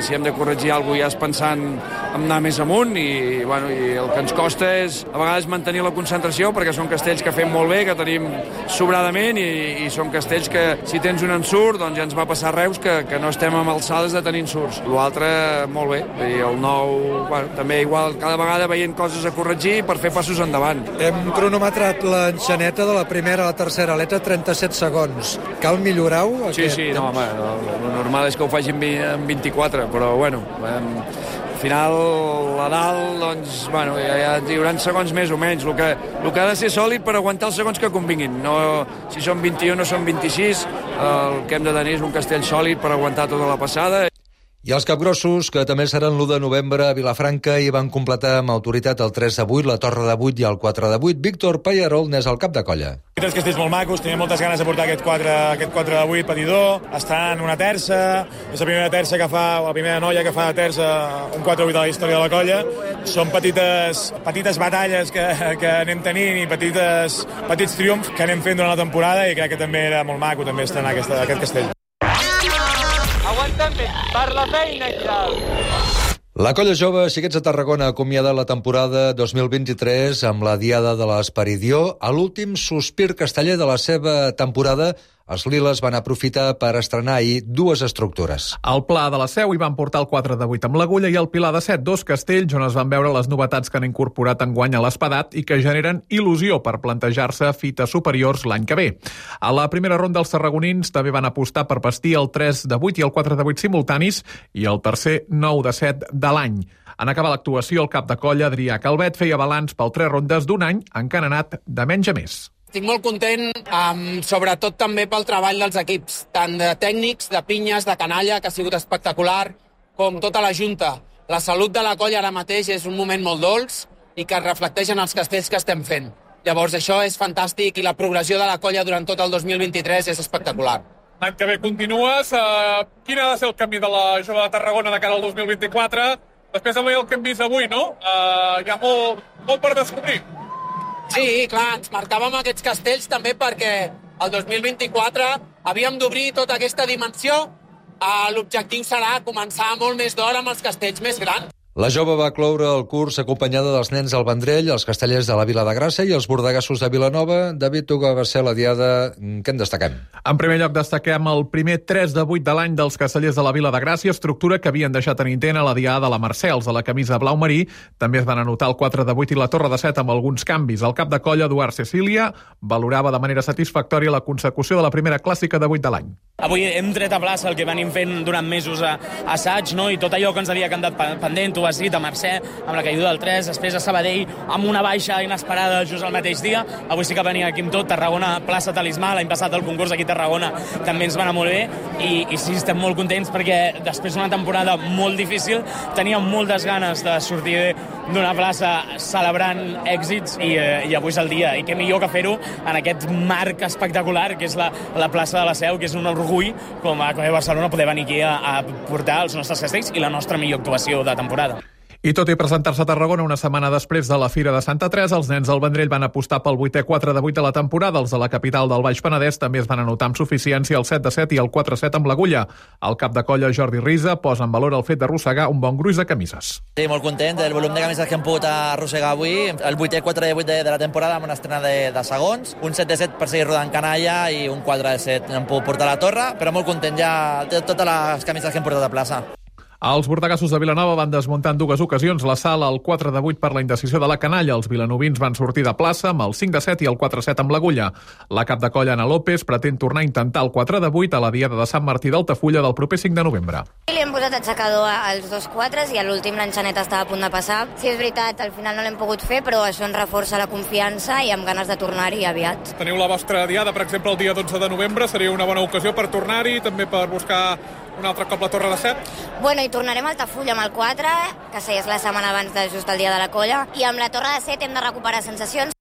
Si hem de corregir alguna cosa ja és pensant en anar més amunt i el que ens costa és a vegades mantenir la concentració perquè són castells que fem molt bé, que tenim sobradament i són castells que si tens un ensurt doncs ja ens va passar Reus que no estem amb alçades de tenir ensurts. L'altre molt bé i el 9 també igual, cada vegada veient coses a corregir per fer passos endavant. Hem cronometrat l'enxaneta de la primera a la tercera aleta 37 segons. Cal millorar-ho? Sí, no, home, el normal és que ho faci en 24, però al final a dalt doncs, ja hi haurà segons més o menys. El que ha de ser sòlid per aguantar els segons que convinguin. No, si són 21 o són 26, el que hem de tenir és un castell sòlid per aguantar tota la passada. I els capgrossos, que també seran l'1 de novembre a Vilafranca i van completar amb autoritat el 3 de 8, la Torre de 8 i el 4 de 8. Víctor Pallarol n'és el cap de colla. Tres castells molt macos, tenim moltes ganes de portar aquest 4 de 8 patidor. Està en una terça, és la primera terça que fa, o la primera noia que fa de terça un 4 de 8 de la història de la colla. Són petites batalles que anem tenint i petits triomfs que anem fent durant la temporada i crec que també era molt maco també estrenar aquest castell. Aguanten bé, per la feina i tal. La colla jove Xiquets de Tarragona ha acomiadat la temporada 2023 amb la Diada de l'Esperidió. A l'últim sospir casteller de la seva temporada, els liles van aprofitar per estrenar ahir dues estructures. Al Pla de la Seu hi van portar el 4 de 8 amb l'Agulla i el Pilar de 7, dos castells on es van veure les novetats que han incorporat enguany a l'Espadat i que generen il·lusió per plantejar-se fites superiors l'any que ve. A la primera ronda els tarragonins també van apostar per vestir el 3 de 8 i el 4 de 8 simultanis i el tercer 9 de 7 de l'any. En acabar l'actuació, el cap de colla, Adrià Calvet, feia balanç pel 3 rondes d'un any encanenat de menys a més. Estic molt content, sobretot també pel treball dels equips, tant de tècnics, de pinyes, de canalla, que ha sigut espectacular, com tota la junta. La salut de la colla ara mateix és un moment molt dolç i que es reflecteix en els castells que estem fent. Llavors això és fantàstic i la progressió de la colla durant tot el 2023 és espectacular. L'any que ve continues. Quin ha de ser el camí de la jove de Tarragona de cara al 2024? Després de el que hem vist avui, no? Hi ha molt per descobrir. Sí, clar, ens marcàvem aquests castells també perquè el 2024 havíem d'obrir tota aquesta dimensió. L'objectiu serà començar molt més d'hora amb els castells més grans. La jove va cloure el curs acompanyada dels nens del Vendrell, els castellers de la Vila de Gràcia i els bordegassos de Vilanova. David, tu que va ser la diada, què en destaquem? En primer lloc destaquem el primer 3 de 8 de l'any dels castellers de la Vila de Gràcia, estructura que havien deixat en intent a la diada de la Mercè. Els de la camisa blau marí també es van anotar el 4 de 8 i la Torre de 7 amb alguns canvis. El cap de colla, Eduard Cecília, valorava de manera satisfactòria la consecució de la primera clàssica de 8 de l'any. Avui hem tret a plaça el que venim fent durant mesos a assaig, no? I tot allò que ens havia quedat pendent, tu has dit, a Mercè, amb la caiguda del 3, després a Sabadell, amb una baixa inesperada just el mateix dia. Avui sí que venia aquí amb tot, Tarragona, plaça Talismà, l'any passat el concurs aquí a Tarragona també ens va anar molt bé, i sí, estem molt contents perquè després d'una temporada molt difícil teníem moltes ganes de sortir d'una plaça celebrant èxits i avui és el dia, i què millor que fer-ho en aquest marc espectacular que és la plaça de la Seu, que és un orgull com a Barcelona poder venir aquí a portar els nostres castells i la nostra millor actuació de temporada. I tot i presentar-se a Tarragona una setmana després de la Fira de Santa Teresa, els nens del Vendrell van apostar pel 8è 4 de 8 de la temporada. Els de la capital del Baix Penedès també es van anotar amb suficiència el 7 de 7 i el 4 de 7 amb l'Agulla. El cap de colla, Jordi Risa, posa en valor el fet d'arrossegar un bon gruix de camises. Sí, molt content del volum de camises que hem pogut arrossegar avui. El 8è 4 de 8 de la temporada amb una estrena de segons, un 7 de 7 per seguir rodant canalla i un 4 de 7 hem pogut portar a la torre, però molt content ja de totes les camises que hem portat a plaça. Els bordegassos de Vilanova van desmuntar en 2 ocasions la sala al 4-8 per la indecisió de la canalla. Els vilanovins van sortir de plaça amb el 5-7 i el 4-7 amb l'Agulla. La cap de colla Ana López pretén tornar a intentar el 4-8 a la diada de Sant Martí d'Altafulla del proper 5 de novembre. Li hem posat aixecador als 2 4s i a l'últim l'enxaneta estava a punt de passar. Sí, és veritat, al final no l'hem pogut fer, però això ens reforça la confiança i amb ganes de tornar-hi aviat. Teniu la vostra diada, per exemple, el dia 12 de novembre. Seria una bona ocasió per tornar-hi, també per buscar un altre cop la Torre de Set? Bueno, i tornarem a Altafulla amb el 4, que és la setmana abans de just el dia de la colla, i amb la Torre de Set hem de recuperar sensacions.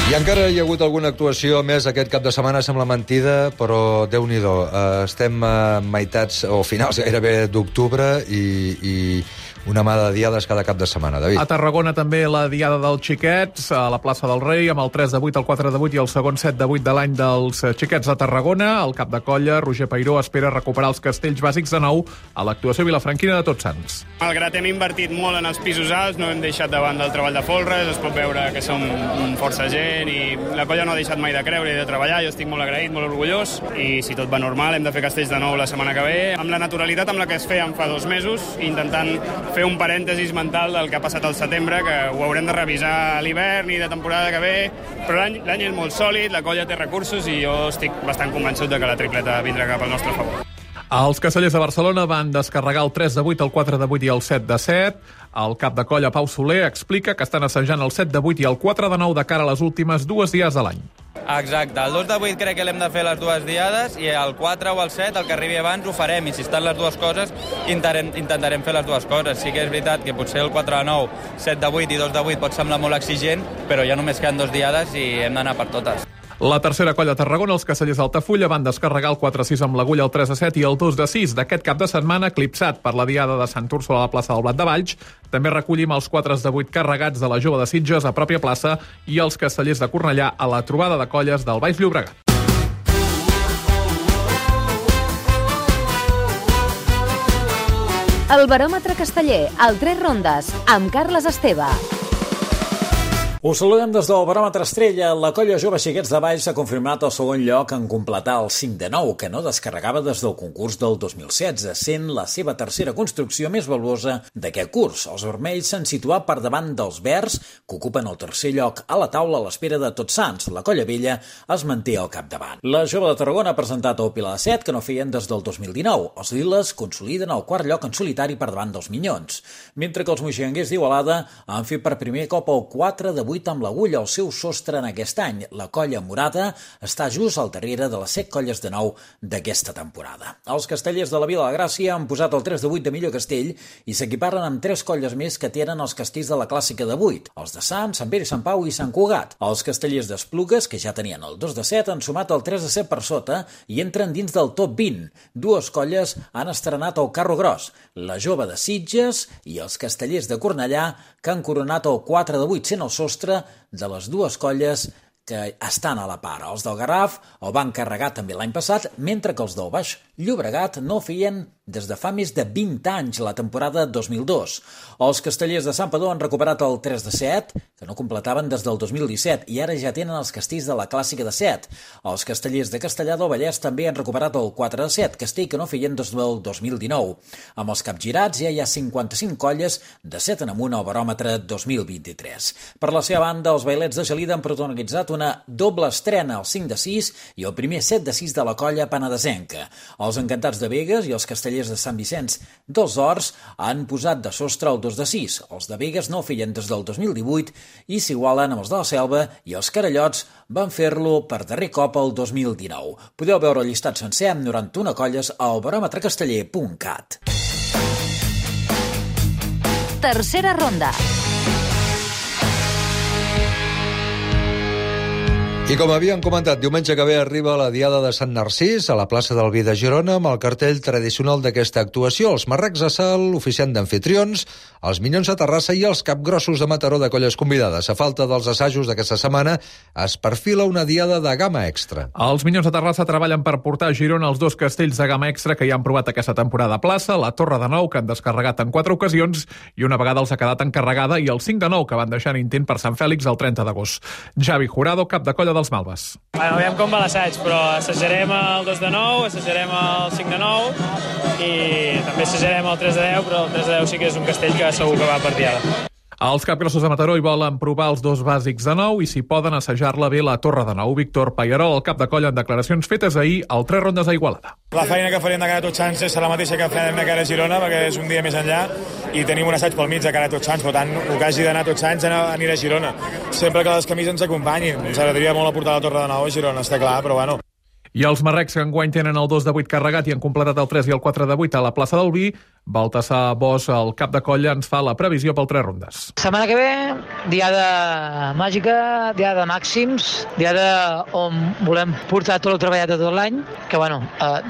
I encara hi ha hagut alguna actuació més aquest cap de setmana, sembla mentida, però Déu-n'hi-do. Estem a meitats o finals gairebé d'octubre i una mà de diades cada cap de setmana, David. A Tarragona també la diada dels xiquets, a la plaça del Rei, amb el 3-8, el 4-8 i el segon 7-8 de l'any dels xiquets de Tarragona. El cap de colla, Roger Peiró, espera recuperar els castells bàsics de nou a l'actuació vilafranquina de Tots Sants. Malgrat hem invertit molt en els pisos alts, no hem deixat de banda el treball de folres, es pot veure que som força gent i la colla no ha deixat mai de creure i de treballar. Jo estic molt agraït, molt orgullós, i si tot va normal hem de fer castells de nou la setmana que ve, amb la naturalitat amb la que es feien fa 2 mesos, intentant fer un parèntesis mental del que ha passat al setembre, que ho haurem de revisar a l'hivern i de temporada que ve, però l'any és molt sòlid, la colla té recursos i jo estic bastant convençut de que la tripleta vindrà cap al nostre favor. Els castellers de Barcelona van descarregar el 3-8, el 4-8 i el 7-7. El cap de colla, Pau Soler, explica que estan assajant el 7-8 i el 4-9 de cara a les últimes 2 diades de l'any. Exacte, el 2-8 crec que l'hem de fer les 2 diades i el 4 o el 7, el que arribi abans, ho farem, i si estan les 2 coses intentarem fer les 2 coses. Sí que és veritat que potser el 4-9, 7-8 i 2-8 pot semblar molt exigent, però ja només queden 2 diades i hem d'anar per totes. La tercera colla a Tarragona, els castellers d'Altafulla, van descarregar el 4-6 amb l'Agulla, el 3-7 i el 2-6 d'aquest cap de setmana, eclipsat per la diada de Sant Úrsula a la plaça del Blat de Valls. També recollim els 4-8 carregats de la Jove de Sitges a pròpia plaça i els castellers de Cornellà a la trobada de colles del Baix Llobregat. El baròmetre casteller, al 3 rondes, amb Carles Esteve. Us saludem des del baròmetre Estrella. La colla Jove Xiquets de Valls ha confirmat el segon lloc en completar el 5 de 9, que no descarregava des del concurs del 2016, sent la seva tercera construcció més valuosa d'aquest curs. Els vermells s'han situat per davant dels verds, que ocupen el tercer lloc a la taula a l'espera de Tots Sants. La colla vella es manté al capdavant. La Jove de Tarragona ha presentat el Pilar de Set, que no feien des del 2019. Els liles consoliden el quart lloc en solitari per davant dels minyons, mentre que els moixanguers d'Igualada han fet per primer cop el 4-8 amb l'Agulla, el seu sostre en aquest any. La colla morada està just al darrere de les 7 colles de nou d'aquesta temporada. Els castellers de la Vila de Gràcia han posat el 3-8 de millor castell i s'equiparen amb 3 colles més que tenen els castells de la clàssica de 8, els de Sant, Sant Pere, Sant Pau i Sant Cugat. Els castellers d'Esplugues, que ja tenien el 2-7, han sumat el 3-7 per sota i entren dins del top 20. 2 colles han estrenat el carro gros, la Jove de Sitges i els castellers de Cornellà, que han coronat el 4-8 sent el sostre de les 2 colles que estan a la part. Els del Garraf el van carregar també l'any passat, mentre que els del Baix Llobregat no feien des de fa més de 20 anys, la temporada 2002. Els castellers de Santpedor han recuperat el 3-7, que no completaven des del 2017, i ara ja tenen els castells de la clàssica de 7. Els castellers de Castellar del Vallès també han recuperat el 4-7, castell que no feien des del 2019. Amb els capgirats ja hi ha 55 colles de 7 en amunt al baròmetre 2023. Per la seva banda, els bailets de Gelida han protagonitzat una doble estrena, el 5-6 i el primer 7-6 de la colla penedesenca. Els encantats de Begues i els castellers de Sant Vicenç dels Horts han posat de sostre el 2-6. Els de Begues no feien des del 2018 i s'igualen amb els de la Selva, i els Carallots van fer-lo per darrer cop el 2019. Podeu veure el llistat sencer amb 91 colles al baròmetrecasteller.cat. Tercera ronda. I com havíem comentat, diumenge que ve arriba la Diada de Sant Narcís a la plaça del Vi de Girona amb el cartell tradicional d'aquesta actuació. Els marrecs a Salt, oficiant d'anfitrions, els Minyons a Terrassa i els capgrossos de Mataró de colles convidades. A falta dels assajos d'aquesta setmana, es perfila una Diada de gamma extra. Els Minyons de Terrassa treballen per portar a Girona els 2 castells de gamma extra que ja han provat aquesta temporada a plaça, la Torre de Nou, que han descarregat en 4 ocasions, i una vegada els ha quedat encarregada, i el 5 de Nou, que van deixar en intent per Sant Fèlix el 30 d'agost. Javi Jurado, cap de colla dels Malves. Bueno, aviam com va l'assaig, però assajarem el 2 de 9, assajarem el 5 de 9 i també assajarem el 3 de 10, però el 3 de 10 sí que és un castell que segur que va per diada. Els capgrossos de Mataró hi volen provar els 2 bàsics de nou i si poden assajar-la bé la Torre de Nou. Víctor Pallarol, el cap de colla, en declaracions fetes ahir al 3 rondes a Igualada. La feina que farem de cara a Tots Sants serà la mateixa que farem de cara a Girona, perquè és un dia més enllà i tenim un assaig pel mig de cara a Tots Sants, per tant, el que hagi d'anar a Tots Sants anirà a Girona. Sempre que les camises ens acompanyin. Ens agradaria molt aportar la Torre de Nou a Girona, està clar, però bueno. I els marrecs que enguany tenen el 2 de 8 carregat i han completat el 3 i el 4 de 8 a la plaça del Vi, Baltasar Bosch, el cap de colla, ens fa la previsió pel 3 rondes. Setmana que ve, diada màgica, diada de màxims, diada on volem portar tot el treballat de tot l'any, que bueno,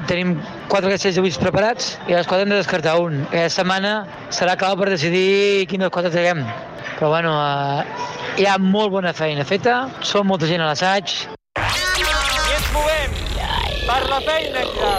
tenim 4 castells de 8 preparats i a les 4 hem de descartar un. Aquesta setmana serà clau per decidir quin dels 4 traguem. Però bueno, hi ha molt bona feina feta, som molta gent a l'assaig. I ens movem per la feina extra.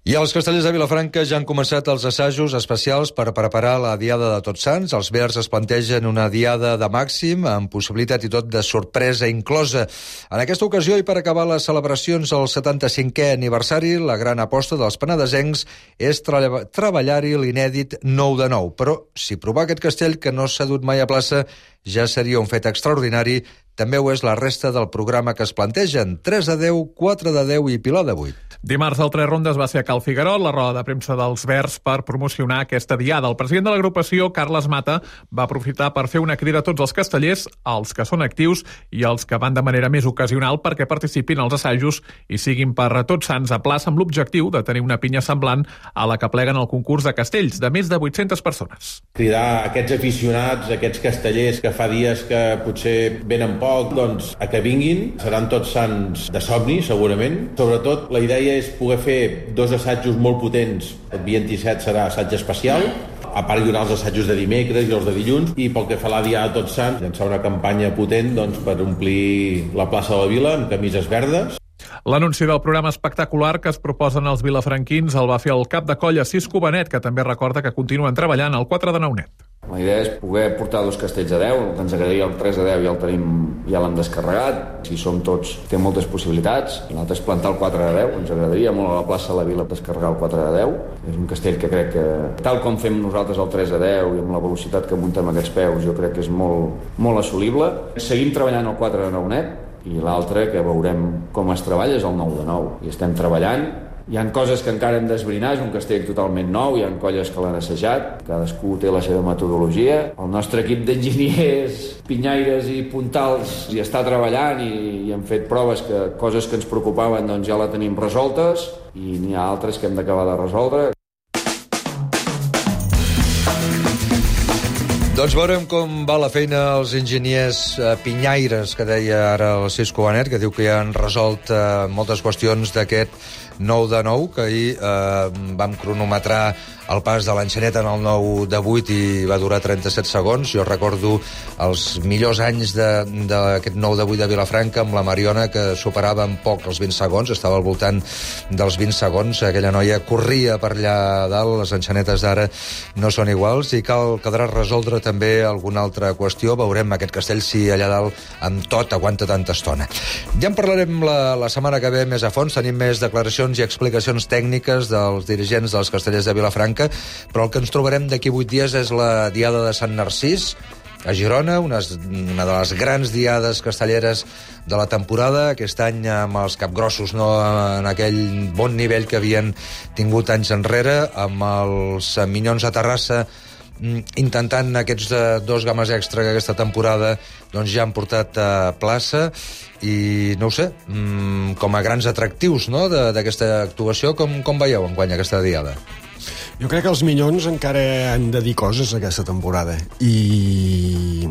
I els castellers de Vilafranca ja han començat els assajos especials per preparar la Diada de Tots Sants. Els verds es plantegen una diada de màxim, amb possibilitat i tot de sorpresa inclosa. En aquesta ocasió, i per acabar les celebracions al 75è aniversari, la gran aposta dels penedesencs és treballar-hi l'inèdit 9 de 9. Però si provar aquest castell, que no s'ha dut mai a plaça, ja seria un fet extraordinari. També ho és la resta del programa que es plantegen. 3 de 10, 4 de 10 i Pilar de 8. Dimarts al 3 rondes va ser a Cal Figuerot, la roda de premsa dels Verds, per promocionar aquesta diada. El president de l'agrupació, Carles Mata, va aprofitar per fer una crida a tots els castellers, els que són actius i els que van de manera més ocasional, perquè participin als assajos i siguin per a Tots Sants a plaça amb l'objectiu de tenir una pinya semblant a la que pleguen el concurs de castells, de més de 800 persones. Cridar aquests aficionats, aquests castellers que fa dies que potser venen poc, doncs a que vinguin. Seran Tots Sants de somni, segurament. Sobretot, la idea és poder fer 2 assajos molt potents. El 27 serà assaig especial, a part hi haurà els assajos de dimecres i els de dilluns, i pel que fa a la Diada de Tots Sants, llançar una campanya potent doncs, per omplir la plaça de la Vila amb camises verdes. L'anunci del programa espectacular que es proposen els vilafranquins el va fer el cap de colla Cisco Benet, que també recorda que continuen treballant al 4 de 9 net. La idea és poder portar 2 castells de 10, que ens agradaria el 3 de 10 ja l'hem descarregat, si som tots té moltes possibilitats, l'altre és plantar el 4 de 10, ens agradaria molt a la plaça de la Vila descarregar el 4 de 10, és un castell que crec que tal com fem nosaltres el 3 de 10 i amb la velocitat que muntem aquests peus jo crec que és molt assolible. Seguim treballant el 4 de 9 net i l'altre que veurem com es treballa és el 9 de 9 i estem treballant. Hi ha coses que encara hem d'esbrinar, és un castell totalment nou, hi ha colles que l'han assajat, cadascú té la seva metodologia. El nostre equip d'enginyers, pinyaires i puntals hi està treballant i hem fet proves que coses que ens preocupaven doncs ja la tenim resoltes i n'hi ha altres que hem d'acabar de resoldre. Doncs veurem com va la feina als enginyers pinyaires, que deia ara el Cisco Benet, que diu que ja han resolt moltes qüestions d'aquest 9 de 9, que ahir vam cronometrar el pas de l'enxaneta en el 9 de 8 i va durar 37 segons. Jo recordo els millors anys d'aquest 9 de 8 de Vilafranca amb la Mariona, que superava en poc els 20 segons, estava al voltant dels 20 segons. Aquella noia corria per allà dalt, les enxanetes d'ara no són iguals i caldrà resoldre també alguna altra qüestió. Veurem aquest castell si allà dalt amb tot aguanta tanta estona. Ja en parlarem la setmana que ve més a fons, tenim més declaracions i explicacions tècniques dels dirigents dels castellers de Vilafranca, però el que ens trobarem d'aquí 8 dies és la Diada de Sant Narcís a Girona, una de les grans diades castelleres de la temporada, aquest any amb els capgrossos no en aquell bon nivell que havien tingut anys enrere, amb els Minyons a Terrassa intentant aquests 2 games extra que aquesta temporada doncs ja han portat a plaça i no ho sé, com a grans atractius no, d'aquesta actuació, com veieu enguany aquesta diada? Jo crec que els Minyons encara han de dir coses aquesta temporada i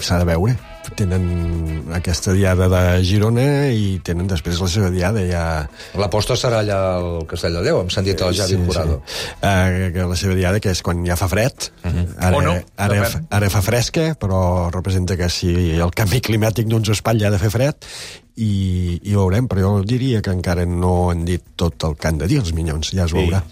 s'ha de veure. tenen aquesta diada de Girona i tenen després la seva diada ja... L'aposta serà allà al Castell de Déu, hem sentit el Javi Curado. La seva diada, que és quan ja fa fred, ara fa fresca, però representa que si el canvi climàtic no ens espatlla ha de fer fred, i veurem, però jo diria que encara no han dit tot el que han de dir els Minyons, ja es veurà.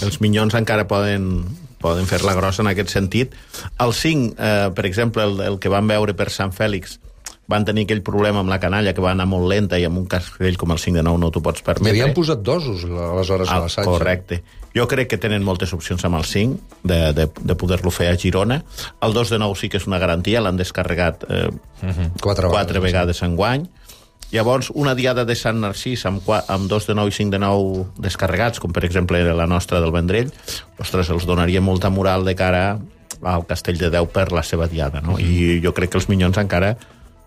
Els Minyons encara poden fer-la grossa en aquest sentit. El 5, per exemple, el que van veure per Sant Fèlix, van tenir aquell problema amb la canalla que va anar molt lenta i amb un castell com el 5 de 9 no t'ho pots permetre. M'havien posat dosos aleshores a l'assaig. Correcte. Jo crec que tenen moltes opcions amb el 5 de poder-lo fer a Girona. El 2 de 9 sí que és una garantia, l'han descarregat 4 vegades enguany. Llavors, una diada de Sant Narcís amb 2 de 9 i 5 de 9 descarregats, com per exemple la nostra del Vendrell, ostres, els donaria molta moral de cara al Castell de Déu per la seva diada, no? I jo crec que els Minyons encara,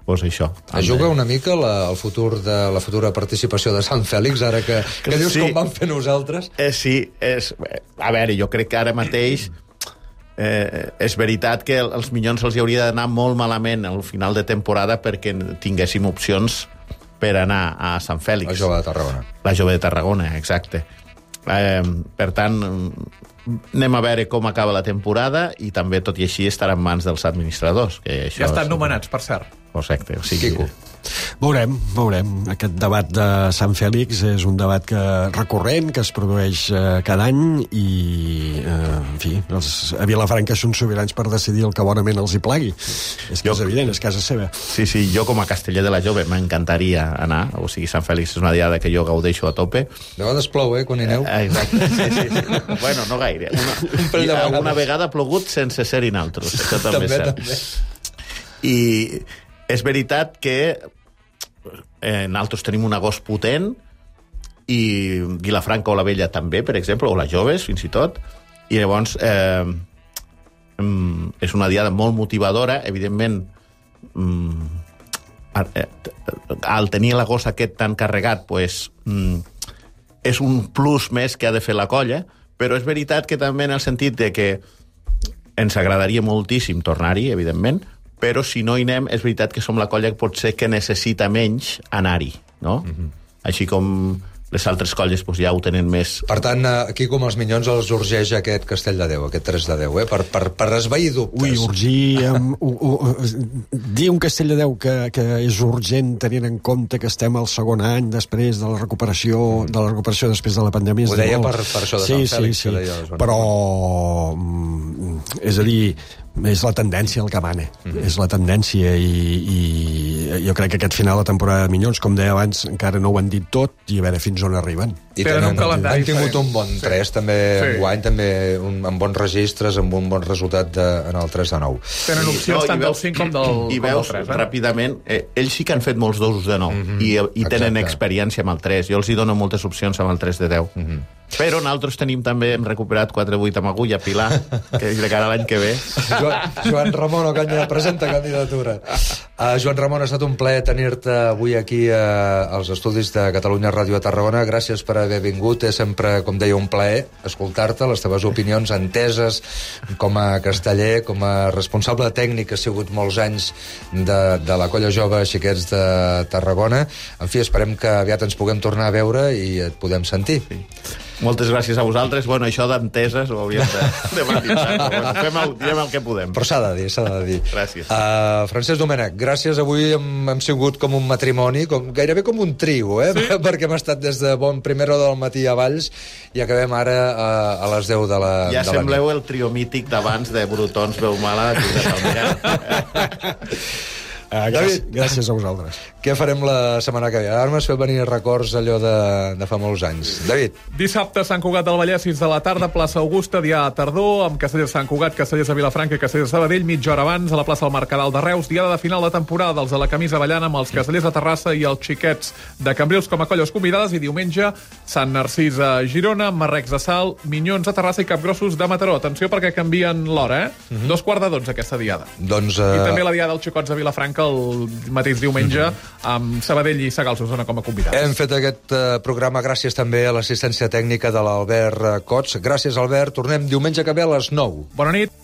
doncs això. Es juga una mica el futur de la futura participació de Sant Fèlix, ara que dius com vam fer nosaltres. Sí, a veure, jo crec que ara mateix és veritat que els Minyons els hauria d'anar molt malament al final de temporada perquè tinguéssim opcions per anar a Sant Fèlix. La Jove de Tarragona. La Jove de Tarragona, exacte. Per tant, anem a veure com acaba la temporada i també, tot i així, estarà en mans dels administradors. Que això ja estan nomenats, per cert. Correcte, o sigui... Quico. Veurem. Aquest debat de Sant Fèlix és un debat recurrent, que es produeix cada any i, en fi, a Vilafranca són sobirans per decidir el que bonament els hi plagui. És que és evident, és casa seva. Sí, jo com a casteller de la Jove m'encantaria anar, o sigui, Sant Fèlix és una diada que jo gaudeixo a tope. De vegades plou, quan hi aneu? Exacte, sí. Bueno, no gaire. Una vegada ha plogut sense ser-hi naltros, això també és cert. I és veritat que nosaltres tenim un agost potent i Vilafranca o la Vella també, per exemple, o les Joves, fins i tot, i llavors és una diada molt motivadora, evidentment al tenir l'agost aquest tan carregat és un plus més que ha de fer la colla, però és veritat que també en el sentit de que ens agradaria moltíssim tornar-hi, evidentment, però si no hi anem, és veritat que som la colla que potser que necessita menys anar-hi, no? Així com les altres colles ja ho tenen més... Per tant, aquí com els Minyons els urgeix aquest Castell de Déu, aquest 3 de 10, per esvair dubtes. Ui, urgir... dir un Castell de Déu que és urgent tenint en compte que estem al segon any després de la recuperació després de la pandèmia... Ho deia per això de Sant Fèlix. Sí, però... És a dir, és la tendència el que mana. És la tendència i jo crec que aquest final de temporada de Minyons, com deia abans, encara no ho han dit tot i a veure fins on arriben. I han tingut un bon 3 també enguany, també amb bons registres, amb un bon resultat en el 3 de 9. Tenen opcions tant del 5 com del 3. I veus, ràpidament, ells sí que han fet molts dosos de 9 i tenen experiència amb el 3. Jo els hi dono moltes opcions amb el 3 de 10. Però nosaltres tenim també, hem recuperat 4-8 amb agulla, Pilar, que és de cara a l'any que ve. Joan Ramon Ocaña presenta candidatura. Joan Ramon, ha estat un plaer tenir-te avui aquí als estudis de Catalunya Ràdio a Tarragona. Gràcies per haver vingut. És sempre, com deia, un plaer escoltar-te, les teves opinions enteses com a casteller, com a responsable tècnic, que ha sigut molts anys de la colla jove Xiquets de Tarragona. En fi, esperem que aviat ens puguem tornar a veure i et podem sentir. Sí. Moltes gràcies a vosaltres. Bueno, això d'enteses ho hauríem de matisar. Diem el que podem. Però s'ha de dir. Gràcies. Francesc Domènech, gràcies. Avui hem sigut com un matrimoni, gairebé com un trio, sí? Perquè hem estat des de primera hora del matí a Valls i acabem ara a les 10 de la nit. Ja sembleu el trio mític d'abans de Brutons, Veu Mala, gràcies a vosaltres. Què farem la setmana que ve? Ara m'has fet venir records allò de fa molts anys. David. Dissabte, Sant Cugat del Vallès, 6 de la tarda, plaça Augusta, dia a tardor, amb Castellers Sant Cugat, Castellers de Vilafranca i Castellers de Sabadell, mitja hora abans, a la plaça del Mercadal de Reus, diada de final de temporada, els de la camisa ballant amb els Castellers de Terrassa i els Xiquets de Cambrils com a colles convidades, i diumenge, Sant Narcís a Girona, Marrecs de Salt, Minyons a Terrassa i Capgrossos de Mataró. Atenció perquè canvien l'hora, 2:45 aquesta diada. Doncs, I també la diada dels Xicots de Vilafranca el mateix diumenge amb Sabadell i Sagals Osona com a convidats. Hem fet aquest programa gràcies també a l'assistència tècnica de l'Albert Cots. Gràcies, Albert. Tornem diumenge que ve a les 9. Bona nit.